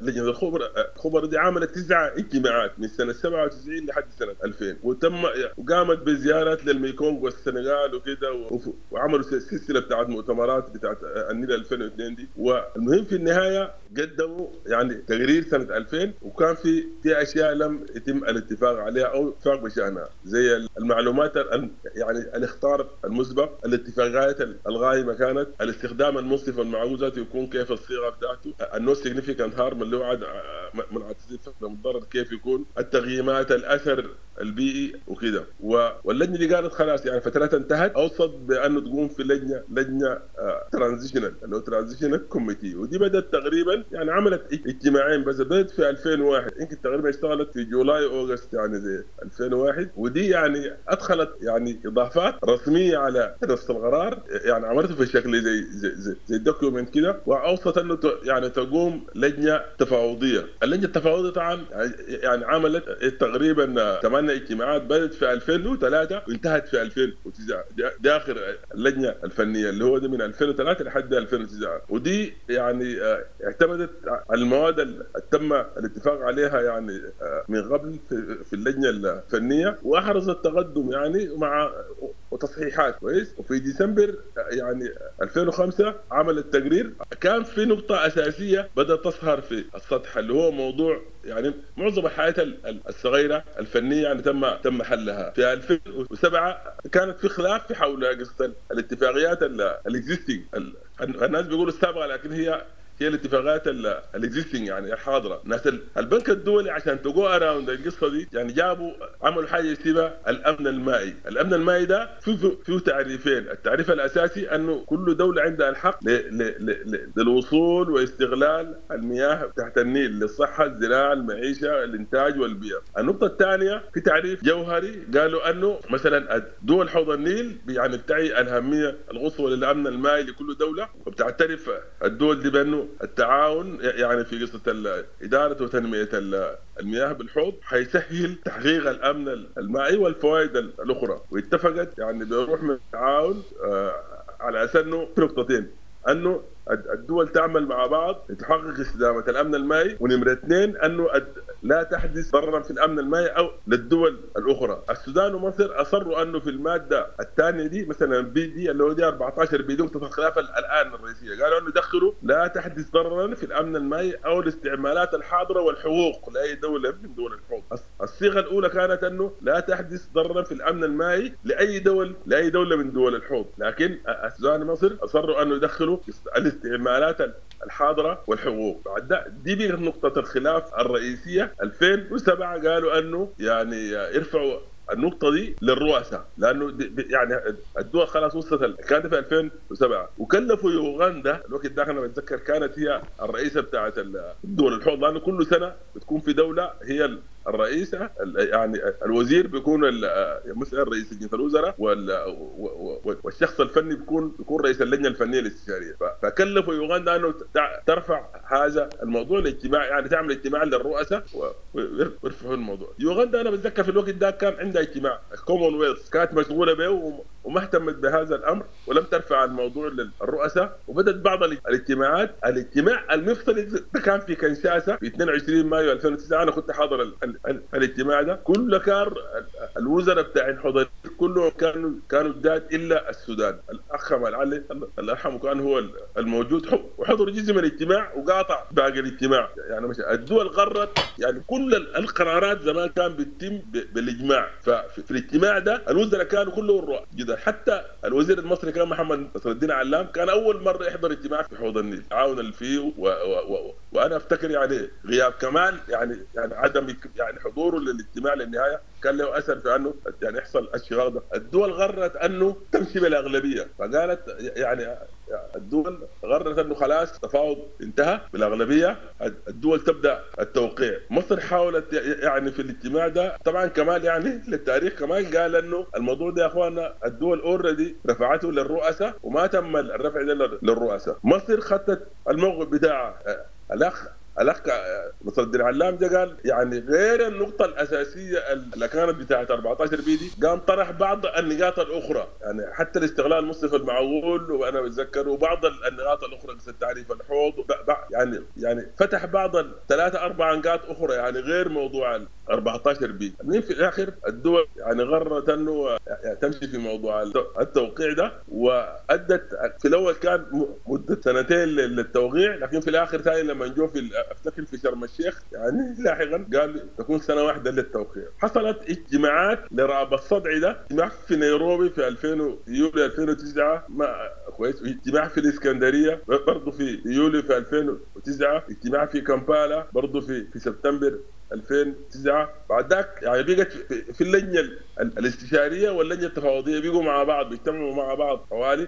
لجنة الخبراء دي عملت 9 اجتماعات من سنة 97 لحد سنة 2000، وتم وقامت بزيارات للميكونغ والسنغال وكده، وعملوا سلسلة بتاعت مؤتمرات بتاعت النيل 2002 دي. والمهم في النهاية قدموا يعني تقرير سنة 2000، وكان في اشياء لم يتم الاتفاق عليها او اتفاق بشانها، زي المعلومات يعني الاخطار المسبق، الاتفاقات الغايمه كانت، الاستخدام المنصف والمعقول ذاته يكون كيف الصيغة بتاعته، ال no significant harm اللي هو منع المتضرر كيف يكون، التغييمات، الاثر البيئي وكده. واللجنة دي قالت خلاص يعني فترتها انتهت، اوصت بانه تقوم في لجنة transitional اللي هو transitional committee، ودي بدات تقريبا يعني عملت اجتماعين بس، بدات في 2001 يمكن تقريبا اشتغلت في July August يعني زي 2001، ودي يعني ادخلت يعني اضافات رسمية على نفس القرار، يعني عملته في شكل زي زي زي, زي document كده، واوصت انه يعني تقوم لجنة تفاوضيه. اللجنة التفاوضيه طبعا يعني عملت تقريبا 8 اجتماعات، بدات في 2003 وانتهت في 2009، دي اخر اللجنة الفنية اللي هو دي من 2003 لحد 2009، ودي يعني اعتمدت على المواد اللي تم الاتفاق عليها يعني من قبل في اللجنة الفنية، واحرزت تقدم يعني مع وتصحيحات كويس. وفي ديسمبر يعني 2005 عمل التقرير، كان في نقطة اساسية بدات تظهر في السطح اللي هو موضوع يعني معظم الحياة الصغيرة الفنية يعني تم حلها. في 2007 كانت في خلاف في حول قصة الاتفاقيات ال existing، الناس بيقولوا السابقة لكن هي الاتفاقات ال existing يعني الحاضرة. ناس البنك الدولي عشان to go around القصة دي يعني جابوا عملوا حاجة اسمها الامن المائي. الامن المائي ده فيه تعريفين، التعريف الاساسي انه كل دولة عندها الحق للوصول واستغلال المياه تحت النيل للصحة، الزراعة، المعيشة، الانتاج والبيئة. النقطة الثانية في تعريف جوهري قالوا انه مثلا دول حوض النيل يعني بتعي الاهمية القصوى للامن المائي لكل دولة، وبتعترف الدول دي بانه التعاون يعني في قصة إدارة وتنمية المياه بالحوض حيسهل تحقيق الأمن المائي والفوائد الأخرى. واتفقت يعني بروح من التعاون على أساس أنه في نقطتين، أنه الدول تعمل مع بعض لتحقق استدامه الامن المائي، ونمره اثنين انه لا تحدث ضررا في الامن المائي او للدول الاخرى. السودان ومصر اصروا انه في المادة الثانية دي مثلا B دي اللي هو دي 14 B دي نقطة الخلاف الان الرئيسية، قالوا انه دخلوا لا تحدث ضررا في الامن المائي او الاستعمالات الحاضرة والحقوق لاي دولة من دول الحوض. الصيغة الاولى كانت انه لا تحدث ضررا في الامن المائي لاي دولة من دول الحوض، لكن السودان ومصر اصروا انه يدخلوا الاستعمالات الحاضرة والحقوق. بعد دي بقت نقطة الخلاف الرئيسية. 2007 قالوا انه يعني يرفعوا النقطة دي للرؤساء، لأنه يعني الدول خلاص وصلت، كانت في 2007، وكلفوا يوغندا الوقت ده أنا بتذكر كانت هي الرئيسة بتاعت الدول الحوض، لأنه كل سنة بتكون في دولة هي الرئيسة، يعني الوزير بيكون مثلا رئيس لجنة الوزراء، والشخص الفني بيكون رئيس اللجنة الفنية الاستشارية. فكلفوا يوغندا أنه ترفع هذا الموضوع الاجتماع، يعني تعمل اجتماع للرؤساء ويرفعوا الموضوع. يوغندا أنا بتذكر في الوقت ده كان عندها اجتماع الكومنولث، كانت مشغولة به وما اهتمت بهذا الأمر ولم ترفع الموضوع للرؤساء، وبدت بعض الاجتماعات. الاجتماع المفصلي ده كان في كنشاسة في 22 مايو 2009، أنا كنت حاضر الاجتماع ده. كل كار الوزراء بتاع حضر كلهم كانوا جداد الا السودان، الاخ كمال علي الله يرحمه كان هو الموجود، وحضر جزء من الاجتماع وقاطع باقي الاجتماع. يعني مش الدول قررت، يعني كل القرارات زمان كان بتتم بالاجماع، ففي الاجتماع ده الوزراء كانوا كلهم رؤى جدا. حتى الوزير المصري كان محمد نصر الدين علام كان اول مرة يحضر اجتماع في حوض النيل، عاون فيه وانا افتكر يعني غياب كمال يعني عدم يعني حضوره للاجتماع للنهاية كان له اثر في انه يعني يحصل الشغاغ ده. الدول غرت انه تمشي بالاغلبيه، فقالت يعني الدول غرت انه خلاص التفاوض انتهى بالاغلبيه، الدول تبدا التوقيع. مصر حاولت يعني في الاجتماع ده طبعا كمال يعني للتاريخ كمال قال انه الموضوع ده يا اخواننا الدول already رفعته للرؤساء وما تم الرفع ده للرؤساء. مصر خدت الموقف بتاعها. الاخ نصر الدين علام ده قال يعني غير النقطة الاساسية اللي كانت بتاعت 14 B دي، قام طرح بعض النقاط الاخرى، يعني حتى الاستغلال المصرف المعول وانا بتذكر، وبعض النقاط الاخرى مثل تعريف الحوض، يعني فتح بعض 3 4 نقاط اخرى يعني غير موضوع 14 B. المهم في الاخر الدول يعني غرت انه تمشي في موضوع التوقيع ده، وادت في الاول كان مده 2 سنين للتوقيع، لكن في الاخر ثاني لما نجوا في افتكر في شرم الشيخ يعني لاحقا قال تكون 1 سنة للتوقيع. حصلت اجتماعات لرأب الصدع ده، اجتماع في نيروبي في 2000 يوليو 2009 ما كويس، اجتماع في الاسكندرية برضه في يوليو في 2009، اجتماع في كامبالا برضه في سبتمبر 2009. بعد ذاك يعني بقت في اللجنة الاستشارية واللجنة التفاوضيه بيجوا مع بعض، بيجتمعوا مع بعض حوالي،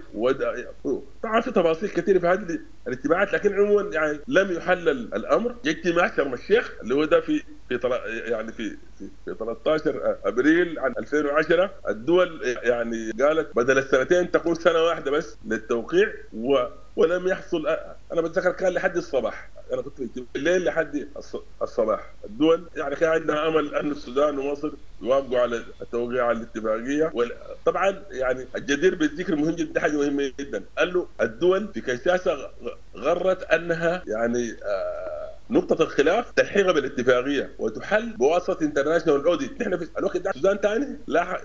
طبعا في تفاصيل كثيرة في هذه الاجتماعات، لكن عموما يعني لم يحل الامر. اجتماع شرم الشيخ اللي هو ده في في يعني في في 13 ابريل عام 2010 الدول يعني قالت بدل 2 سنين تكون 1 سنة بس للتوقيع، ولم يحصل. انا بتذكر كان لحد الصباح، انا كنت الليل لحد الصباح. الدول يعني كان عندها امل ان السودان ومصر يوافقوا على التوقيع على الاتفاقية. طبعا يعني الجدير بالذكر مهم جدا، حاجة مهمة جدا، قال له الدول في كنشاسه غرت انها يعني نقطة الخلاف تلحيقها بالاتفاقية وتحل بواسطة international audit. نحن في الوقت ده السودان ثاني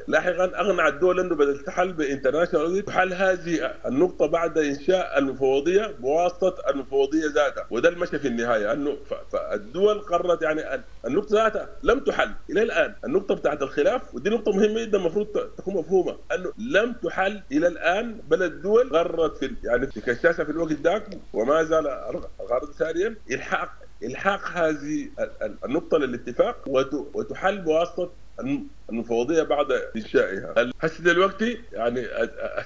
لاحقا اغنع الدول انه بدل تحل ب international audit تحل هذه النقطة بعد انشاء المفوضية بواسطة المفوضية ذاتها، وده المشى في النهاية انه فالدول قررت يعني النقطة ذاتها لم تحل الى الان، النقطة بتاعت الخلاف، ودي نقطة مهمة جدا المفروض تكون مفهومة، انه لم تحل الى الان، بل الدول قررت في يعني في كشاسة في الوقت ذاك وما زال الغرض ساريا الحاق هذه النقطة للاتفاق وتحل بواسطة المفوضية بعد إنشائها. هسه دلوقتي يعني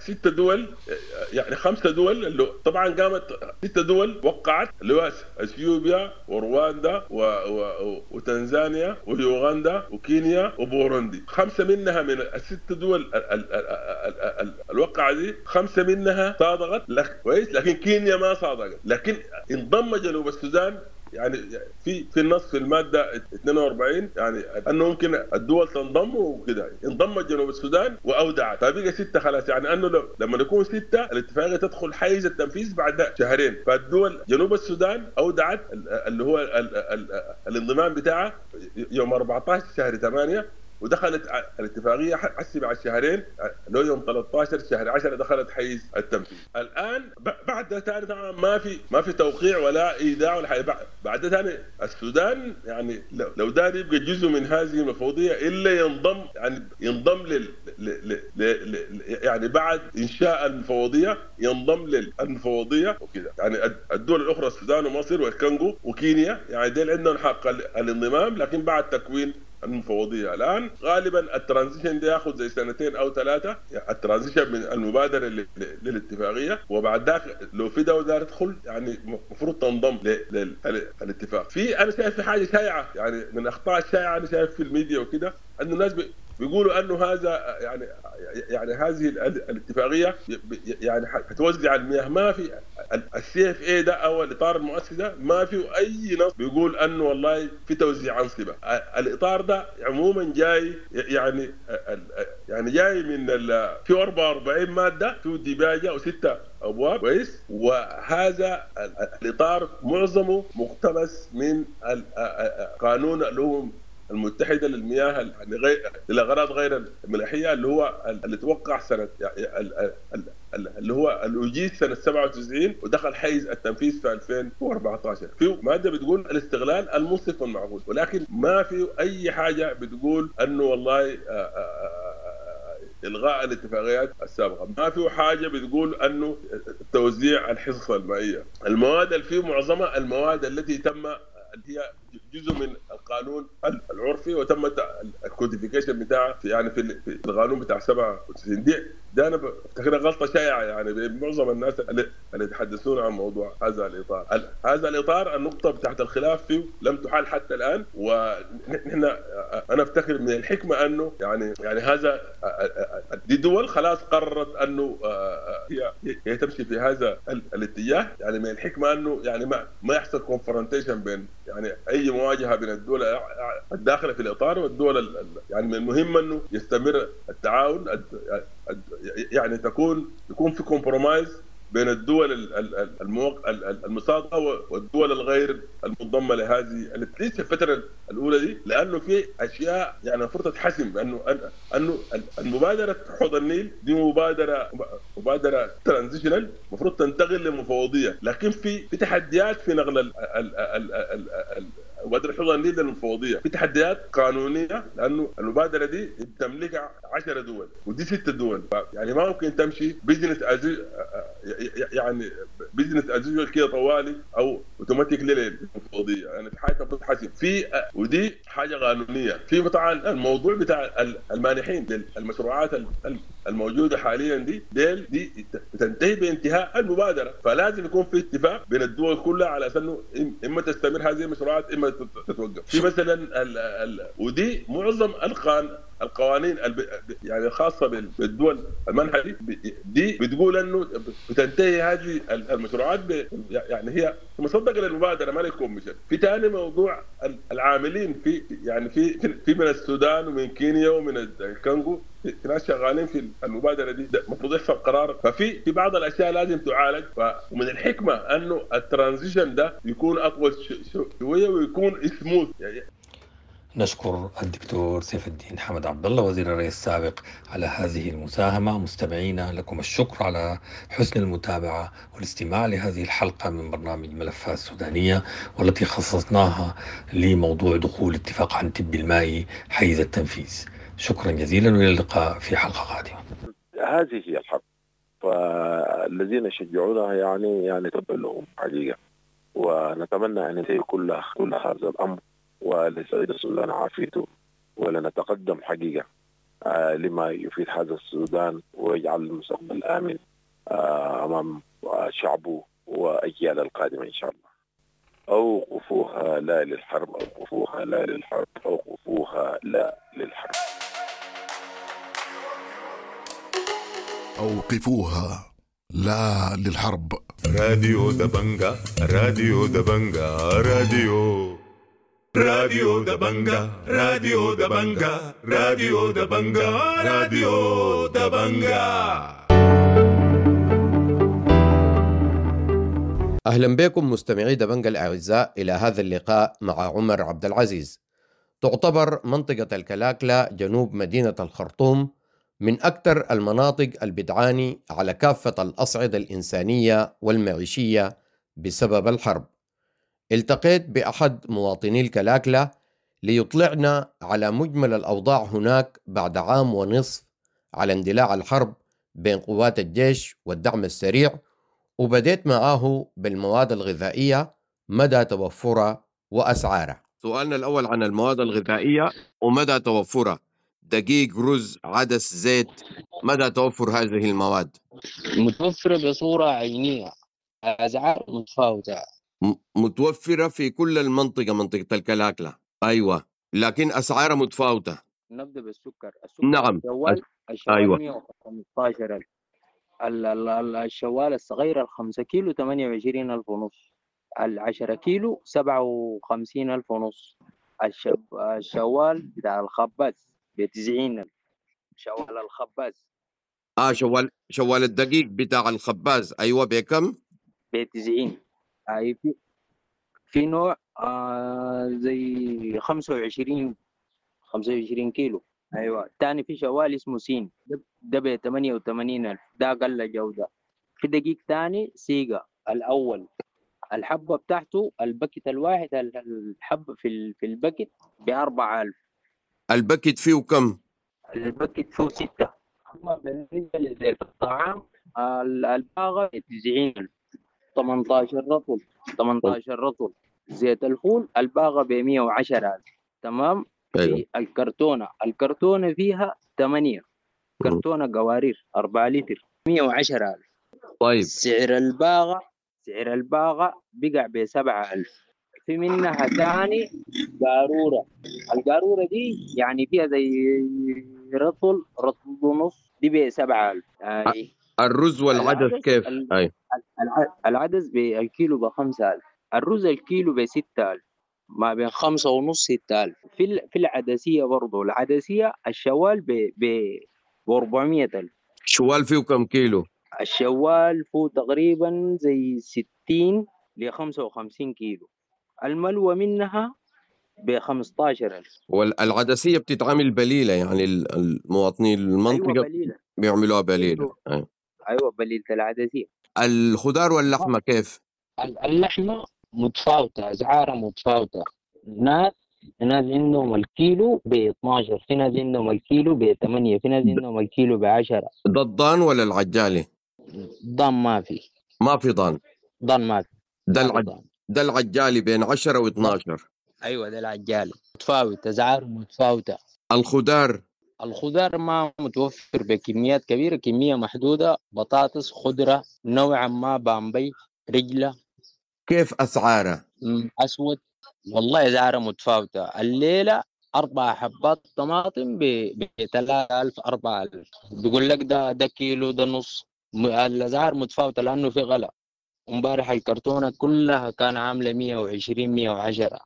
6 دول، يعني 5 دول اللي طبعا قامت 6 دول وقعت، اللي هو اثيوبيا ورواندا وتنزانيا ويوغندا وكينيا وبوروندي. 5 منها من ال6 دول الوقعة دي 5 منها صادقت كويس، لكن كينيا ما صادقت. لكن انضم جنوب السودان يعني في النص في المادة 42 يعني انه ممكن الدول تنضم وكده، انضمت جنوب السودان واودعت، فبقى 6 خلاص. يعني انه لما يكون 6 الاتفاقية تدخل حيز التنفيذ بعد شهرين، فالدول جنوب السودان اودعت اللي هو الانضمام بتاعها يوم 14 شهر 8، ودخلت الاتفاقية حسب على الشهرين لو يوم 13 شهر 10 دخلت حيز التنفيذ. الان بعد ده ثاني طبعا ما في توقيع ولا ايداع ولا حاجة. بعد ده ثاني السودان يعني لو دار يبقى جزء من هذه المفوضية الا ينضم، يعني ينضم لل يعني بعد انشاء المفوضية ينضم للمفوضيه وكده. يعني الدول الاخرى السودان ومصر والكونغو وكينيا يعني ديل عندهم حق الانضمام، لكن بعد تكوين المفوضية. الان غالبا ال transition ده ياخذ زي 2 أو 3، ال transition من المبادرة للاتفاقيه، وبعد ذاك لو في دولة تدخل يعني المفروض تنضم للاتفاق. في انا شايف في حاجة شائعة يعني من اخطاء الشائعة انا شايف في الميديا وكده، انه الناس بيقولوا انه هذا يعني هذه الاتفاقية يعني حتوزع المياه. ما في ال CFA ده او الاطار المؤسسي ده ما في اي نص بيقول انه والله في توزيع انصبه. الاطار ده عموما جاي يعني جاي من في 44 مادة في ديباجه و6 ابواب كويس، وهذا الاطار معظمه مقتبس من قانون الامم المتحدة للمياه يعني غير للاغراض غير الملاحيه اللي هو اللي توقع سنة اللي هو الاجيز سنة 97 ودخل حيز التنفيذ في 2014. في مادة بتقول الاستغلال المنصف والمعقول، ولكن ما في اي حاجة بتقول انه والله الغاء الاتفاقيات السابقة، ما في حاجة بتقول انه توزيع الحصص المائية. المواد اللي فيه معظمها المواد التي تم هي جزء من القانون العرفي وتم ال codification بتاعه يعني في القانون بتاع 97. دي ده انا بفتكرها غلطه شائعة يعني بين معظم الناس اللي يتحدثون عن موضوع هذا الاطار. هذا الاطار النقطة بتاعت الخلاف فيه لم تحل حتى الان، ونحن انا افتكر من الحكمة انه يعني هذا دي دول خلاص قررت انه هي تمشي في هذا الاتجاه. يعني من الحكمة انه يعني ما يحصل confrontation بين يعني اي مواجهة بين الدول الداخلة في الاطار والدول يعني من المهم انه يستمر التعاون، يعني يكون في compromise بين الدول المصادقة والدول الغير المنضمه لهذه at least الفترة الاولى دي، لانه في اشياء يعني المفروض تتحسم. انه المبادرة حوض النيل دي مبادرة transitional المفروض تنتقل للمفوضيه، لكن في تحديات في نقل مبادرة حوض النيل للمفوضية، في تحديات قانونية لأنه المبادرة دي بتملكها 10 دول ودي 6 دول، يعني ما ممكن تمشي business as يعني business as usual كده طوالي أو اوتوماتيك للمفوضية، يعني في حاجة بتتحسب في، ودي حاجة قانونية. في طبعا الموضوع بتاع المانحين للمشروعات الموجودة حاليا دي بتنتهي بانتهاء المبادرة، فلازم يكون في اتفاق بين الدول كلها على اساس انه اما تستمر هذه المشروعات اما تتوقف. في مثلا ودي معظم القوانين يعني الخاصة بالدول المنحة دي بتقول انه بتنتهي هذه المشروعات يعني هي مصدقه للمبادره ما لل commission. في ثاني موضوع العاملين في يعني في من السودان ومن كينيا ومن الكونغو في ناس شغالين في المبادرة دي، المفروض يحصل قرار. ففي بعض الاشياء لازم تعالج، ومن الحكمة انه ال transition ده يكون اطول شوية ويكون سموث يعني.
نشكر الدكتور سيف الدين حمد عبد الله وزير الري السابق على هذه المساهمة. مستمعينا لكم الشكر على حسن المتابعة والاستماع لهذه الحلقة من برنامج ملفات سودانية، والتي خصصناها لموضوع دخول اتفاق عنتبي المائي حيز التنفيذ. شكرا جزيلا والى اللقاء في حلقة قادمة.
هذه هي الحرب، فالذين يشجعونها يعني تبا لهم حقيقة، ونتمنى أن ينتهي كل هذا الأمر ولسعيد السودان عافيته، ولنتقدم حقيقة لما يفيد هذا السودان ويجعل المستقبل آمن أمام شعبه وأجيال القادمة إن شاء الله. أوقفوها لا للحرب، أوقفوها لا للحرب، أوقفوها لا للحرب.
أوقفوها لا للحرب.
راديو دبنجا، راديو دبنجا، راديو راديو دبنجا، راديو دبنجا، راديو دبنجا، راديو دبنجا.
أهلا بكم مستمعي دبنجا الأعزاء إلى هذا اللقاء مع عمر عبد العزيز. تعتبر منطقة الكلاكلة جنوب مدينة الخرطوم من أكثر المناطق البتعاني على كافة الأصعدة الإنسانية والمعيشية بسبب الحرب. التقيت بأحد مواطني الكلاكلة ليطلعنا على مجمل الأوضاع هناك بعد عام ونصف على اندلاع الحرب بين قوات الجيش والدعم السريع، وبديت معاه بالمواد الغذائية، مدى توفرها وأسعارها. سؤالنا الأول عن المواد الغذائية ومدى توفرها، دقيق، رز، عدس، زيت، مدى توفر هذه المواد؟
متوفرة بصورة عينية، أسعار متفاوتة.
متوفرة في كل المنطقة، منطقة الكلاكلة. أيوة، لكن أسعارها متفاوتة.
نبدأ بالسكر. السكر
نعم.
الشوال
أيوة.
115,000. الشوال الصغير 5 كيلو 28,500 ونص، 10 كيلو 57,000 ونص، الشوال بتاع الخباز ب90,000، شوال الخباز.
شوال الدقيق بتاع الخباز، أيوة، بكم؟
ب90. أي في نوع زي 25 كيلو. أيوة. تاني في شوال اسمه سين، ده ب88,000، ده أقل جودة. في دقيق تاني سيجا الأول، الحبة بتاعته ال packet الواحد، الحبة في ال packet ب4,000.
ال packet فيه كم؟
ال packet فيه 6. أما بالنسبة لزيت الطعام، الباغة 90,000، 18 رطل، 18 رطل. زيت الفول الباغة ب110,000. تمام.
أيوة.
الكرتونة فيها 8 كرتونة قوارير 4 لتر، 110,000.
طيب.
سعر الباغة بقع ب7,000. في منها ثاني قارورة، القارورة دي يعني فيها زي رطل، رطل ونص، دي ب7,000. يعني
الرز والعدس كيف؟ أي.
العدس بالكيلو ب5,000، الرز الكيلو ب6,000، ما بين 5.5 6,000. في العدسية برضو، العدسية الشوال ب 400,000.
شوال فيه كم كيلو؟
الشوال فيه تقريبا زي 60 ل 55 كيلو، الملوى منها ب 15,000.
والعدسية بتتعمل بليلة، يعني المواطنين المنطقة.
أيوة، بليلة.
بيعملوها بليلة.
أيوة، بليلة العدسية.
الخضار واللحمة كيف؟
اللحمة متفاوتة، أسعارها متفاوتة. ناس عندهم الكيلو ب12، في ناس عندهم الكيلو ب8، في ناس عندهم الكيلو ب10.
ده الضان ولا العجالي؟
ضان ما في.
ما في ضان.
ضان ما في.
ده العجالي بين 10 و12.
أيوة، ده العجالي متفاوت، أسعاره متفاوتة. الخضار ما متوفر بكميات كبيرة، كمية محدودة. بطاطس، خضرة نوعا ما، بامبي، رجلة.
كيف أسعارها؟
أسود والله أسعارها متفاوتة. الليلة 4 حبات طماطم ب 3,000 4,000، بيقول لك ده كيلو، ده نص. الأسعار متفاوتة لأنه في غلا. امبارح الكرتونة كلها كان عاملة 120 110.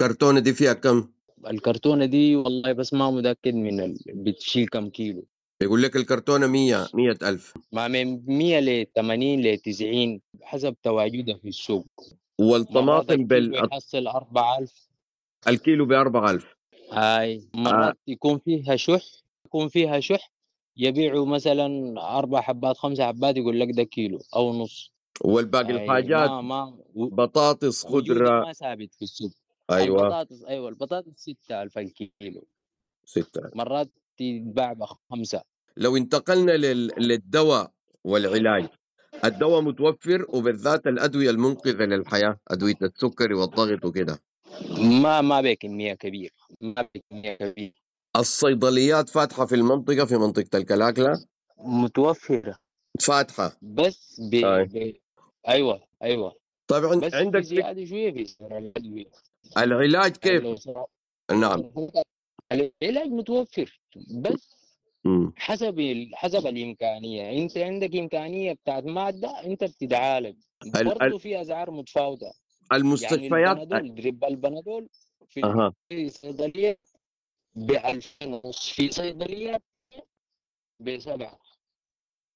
الكرتونة دي فيها كم؟
الكرتونة دي والله بس ما متأكد من بتشيل كم كيلو.
يقول لك الكرتونة 100,000.
ما من 100 ل 80 ل 90 حسب تواجدها في السوق.
والطماطم
يحصل 4,000
الكيلو ب4,000.
هاي مرات يكون فيها شح، يبيعوا مثلا 4 حبات 5 حبات، يقول لك ده كيلو أو نص.
والباقي الحاجات
ما
بطاطس، خضرة
ما ثابت في السوق.
أيوة.
البطاطس، أيوة، البطاطس 6,000 الكيلو.
6,000
مرات تتباع ب5.
لو انتقلنا للدواء والعلاج، الدواء متوفر، وبالذات الأدوية المنقذة للحياة، أدوية السكري والضغط وكده.
ما بكمية كبيرة،
الصيدليات فاتحة في المنطقة، في منطقة الكلاكلة
متوفرة،
فاتحة
بس أيوة.
طبعا
بس
عندك
زيادة شوية في سعر الأدوية.
العلاج كيف؟ نعم،
العلاج متوفر بس حسب الامكانية، انت عندك امكانية بتاعت مادة انت بتتعالج. برضه في اسعار متفاوتة.
المستشفيات
يعني البنادول، drip البنادول في الصيدلية ب2500، في صيدلية ب7.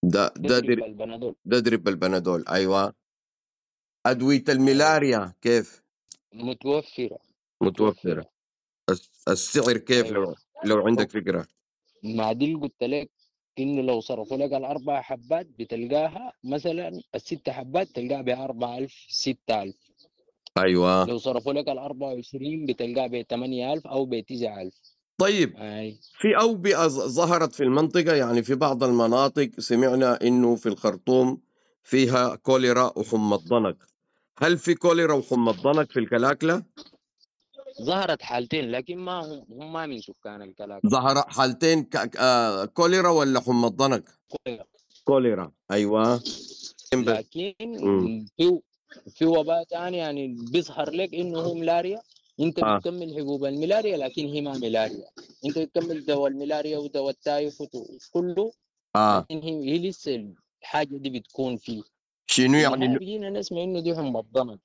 ده
drip البنادول.
ده drip البنادول. ايوه. ادوية الملاريا كيف؟
متوفرة.
متوفرة. السعر كيف؟
أيوة.
لو عندك فكرة.
ما دي اللي قلت لك انه لو صرفوا لك الاربع حبات بتلقاها مثلا الست حبات تلقاها ب 4000 6000.
ايوه.
لو صرفوا لك ال 24 بتلقاها ب 8000 او ب 9000.
طيب.
أي.
في أوبئة ظهرت في المنطقة، يعني في بعض المناطق سمعنا إنه في الخرطوم فيها كوليرا وحمى الضنك. هل في كوليرا وحمى الضنك في الكلاكلة؟
ظهرت حالتين، لكن ما هم ما من سكان الكلاكلة.
ظهر حالتين كوليرا ولا حمى الضنك؟
كوليرا.
كوليرا. أيوة.
لكن في وباء ثاني يعني بيظهر لك إنه هو ملاريا، انت بتكمل حبوب الملاريا لكن هي ما ملاريا، انت بتكمل دواء الملاريا ودواء التايفوت وكله، لكن هي لسه الحاجة دي بتكون فيه.
شنو يعني؟
بيجينا نسمع انه دي حمى الضنك.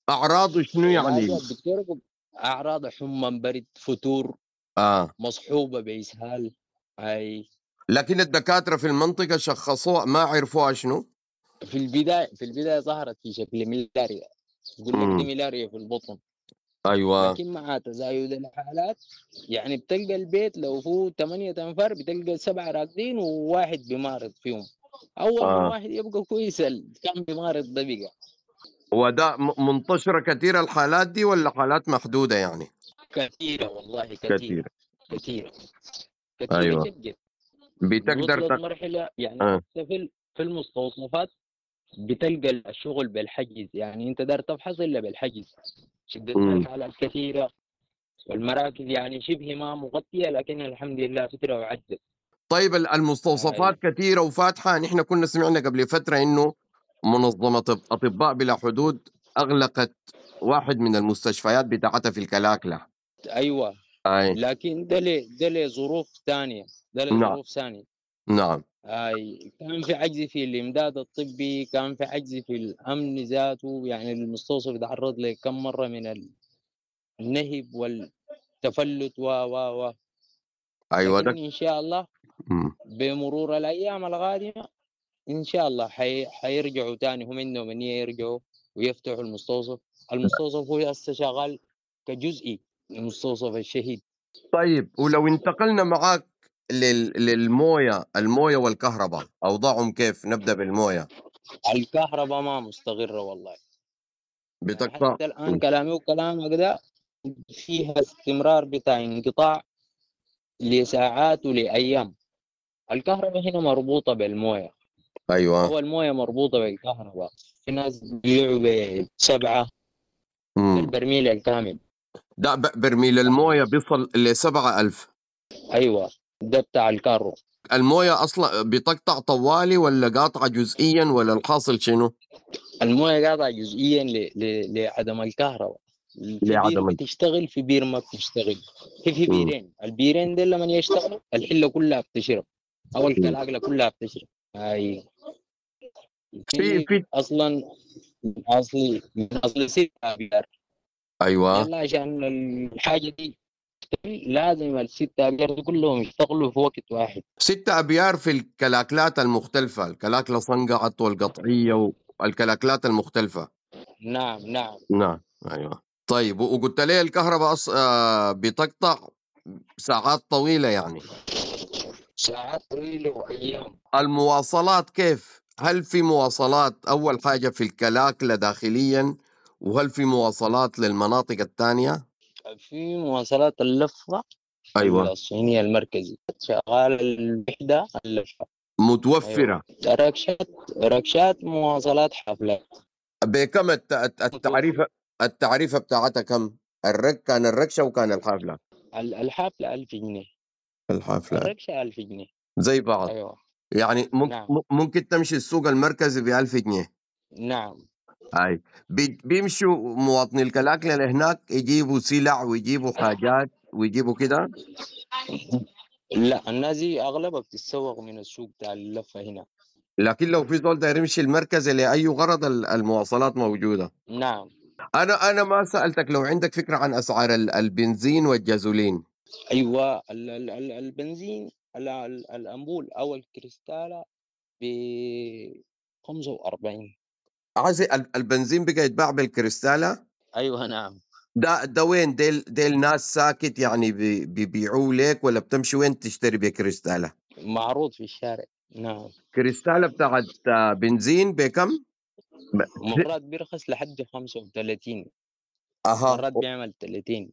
اعراضه شنو يعني؟
الدكتور اعراض حمى، برد، فتور، مصحوبه باسهال. اي.
لكن الدكاترة في المنطقة شخصوها، ما عرفوها شنو؟
في البداية ظهرت في شكل ملاريا، يقول لك دي ملاريا في البطن.
ايوه.
لكن مع تزايد الحالات يعني بتلقى البيت لو هو 8 انفار بتلقى 7 راكدين وواحد بمارض فيهم. اول ما واحد يبقى كويس كان بمارض ده بقى.
وده منتشرة كثيرة الحالات دي ولا حالات محدودة يعني؟
كثيرة والله، كثيرة كثيرة.
ايوه.
جدا.
بتقدر
مرحلة يعني في المستوصفات بتلقى الشغل بالحجز، يعني انت دار تفحص الا بالحجز. شدة الحالات كثيرة والمراكز يعني شبه ما مغطية، لكن الحمد لله فترة وعدت.
طيب المستوصفات كثيرة وفاتحة. نحن كنا سمعنا قبل فترة إنه منظمة أطباء بلا حدود أغلقت واحد من المستشفيات بتاعتها في الكلاكلة.
أيوة.
أي.
لكن ده لظروف ثانية، ده لظروف ثانية.
نعم.
أي. كان في عجز في الإمداد الطبي، كان في عجز في الأمن ذاته، يعني المستوصف تعرض لكم مرة من النهب والتفلت و و و
أيوة.
لكن إن شاء الله بمرور الأيام القادمة إن شاء الله حيرجعوا تاني، هم عندهم نية يرجعوا ويفتحوا المستوصف. المستوصف هو هسه شغال كجزئي، المستوصف الشهيد.
طيب ولو انتقلنا معاك للمويه، المويه والكهرباء اوضاعهم كيف؟ نبدا بالمويه.
الكهرباء ما مستقره والله،
بتقطع
حتى الان. كلامي وكلامك ده فيها استمرار بتاع انقطاع لساعات ولايام. الكهرباء هنا مربوطة بالمويه.
ايوه.
هو المويه مربوطة بالكهرباء. في ناس بيبيعوا ب7 البرميل الكامل.
ده برميل المويه بيصل ل 7000.
ايوه، ده بتاع الكارو.
المويه اصلا بتقطع طوالي ولا قاطعه جزئيا ولا الحاصل شنو؟
المويه قاطعه جزئيا لعدم الكهرباء.
لعدم
بتشتغل في بير ما بتشتغل، في بيرين، البيرين دي لما يشتغلوا الحلة كلها بتشرب او الكلاكله كلها بتشرب. اي.
في
اصلا اصلي من اصل 6 ابيار.
ايوه.
يلا عشان الحاجة دي لازم الستة أبيار كلهم يشتغلوا في وقت واحد.
6 أبيار في الكلاكلات المختلفة، الكلاكلة صنقعت والقطعية والكلاكلات المختلفة.
نعم نعم
نعم. أيوة. طيب وقلت لي الكهرباء بتقطع ساعات طويلة يعني.
ساعات طويلة وأيام.
المواصلات كيف؟ هل في مواصلات أول حاجة في الكلاكلة داخليا، وهل في مواصلات للمناطق الثانية؟
في مواصلات اللفة.
أيوة.
الصينية المركزي شغال الوحدة اللفة
متوفرة.
أيوة. ركشات مواصلات حفلات.
بكم التعريفة؟ التعريفة بتاعتها كم؟ كان الركشة وكان الحافلة.
الحافلة 1000 جنيه.
الحافلة.
الركشة 1000 جنيه.
زي بعض.
أيوة.
يعني
نعم.
ممكن تمشي السوق المركزي ب 1000 جنيه.
نعم.
هاي بيمشوا مواطني الكلاكلة لهناك يجيبوا سلع ويجيبوا حاجات ويجيبوا كده.
لا، الناس دي أغلبها بتتسوق من السوق بتاع اللفة هنا.
لكن لو في زول داير يمشي المركز لأي غرض المواصلات موجودة.
نعم.
أنا ما سألتك لو عندك فكرة عن أسعار البنزين والجازولين.
أيوة، البنزين الأنبول أو الكريستالة ب 45.
عايز البنزين بقى يتباع بالكريستالة؟
أيوة نعم.
ده وين؟ ديل ناس ساكت يعني بيبيعوه لك ولا بتمشي وين تشتري بكريستالة؟
معروض في الشارع. نعم.
كريستالة بتاعت بنزين بكم؟
مرات بيرخص لحد 35.
أها.
مرات بيعمل 30.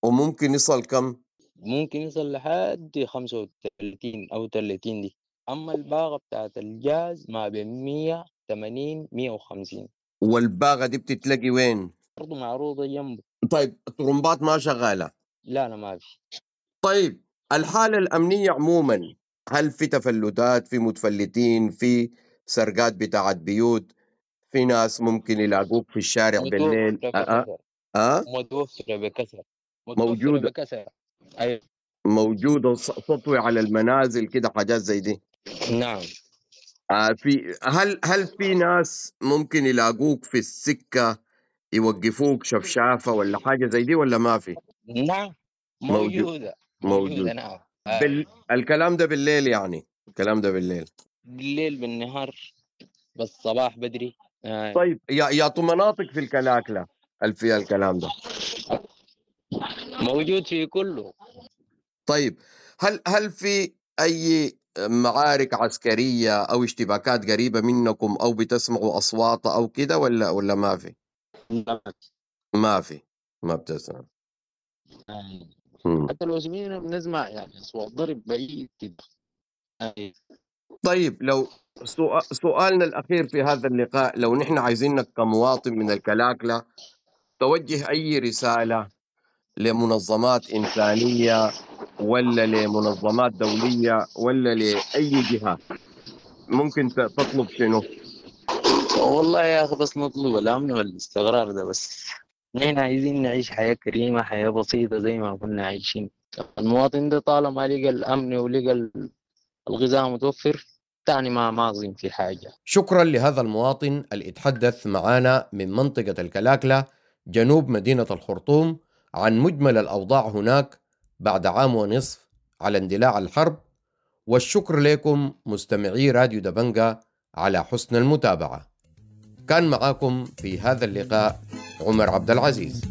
وممكن يصل كم؟
ممكن يصل لحد 35 أو 30 دي. أما الباغة بتاعت الجاز ما بين 180 150.
والباغة دي بتتلاقي وين؟
برضو معروضة جنبه.
طيب الطرمبات ما شغالة؟
لا لا ما في.
طيب الحالة الأمنية عموما، هل في تفلتات، في متفلتين، في سرقات بتاعت بيوت، في ناس ممكن يلاقوك في الشارع بالليل؟
متوفرة بكثرة.
موجودة
بكثرة. أيوة.
موجودة سطوة على المنازل كده، حاجات زي دي.
نعم.
في هل في ناس ممكن يلاقوك في السكة يوقفوك شفشافة ولا حاجة زي دي ولا ما في؟
نعم موجودة. موجودة نعم.
الكلام ده بالليل يعني؟ الكلام ده بالليل.
بالليل بالنهار بالصباح بدري.
طيب يا مناطق في الكلاكلة هل فيها الكلام ده؟
موجود في كله.
طيب هل في أي معارك عسكرية أو اشتباكات قريبة منكم أو بتسمعوا أصوات أو كده ولا ما في؟ ما في، ما بتسمع.
حتى لو سمعنا بنسمع يعني أصوات ضرب بعيد كده.
طيب لو سؤالنا الأخير في هذا اللقاء، لو نحن عايزينك كمواطن من الكلاكلة توجه أي رسالة لمنظمات إنسانية ولا لمنظمات دولية ولا لأي جهة، ممكن تطلب شنو؟
والله يا أخي بس نطلب الأمن والاستقرار ده بس. نحن عايزين نعيش حياة كريمة، حياة بسيطة زي ما كنا عايشين. المواطن ده طالما لقى الأمن ولقى الغذاء متوفر تاني ما أظن في حاجة.
شكرا لهذا المواطن اللي اتحدث معانا من منطقة الكلاكلة جنوب مدينة الخرطوم عن مجمل الأوضاع هناك بعد عام ونصف على اندلاع الحرب. والشكر لكم مستمعي راديو دبنجا على حسن المتابعة. كان معاكم في هذا اللقاء عمر عبد العزيز.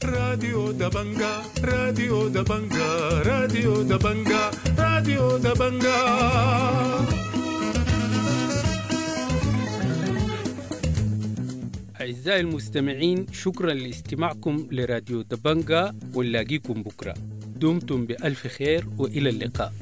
راديو دبنجا، راديو دبنجا، راديو دبنجا، راديو دبنجا.
أعزائي المستمعين، شكرا لاستماعكم لراديو دبنجا، ونلاقيكم بكرة. دمتم بألف خير وإلى اللقاء.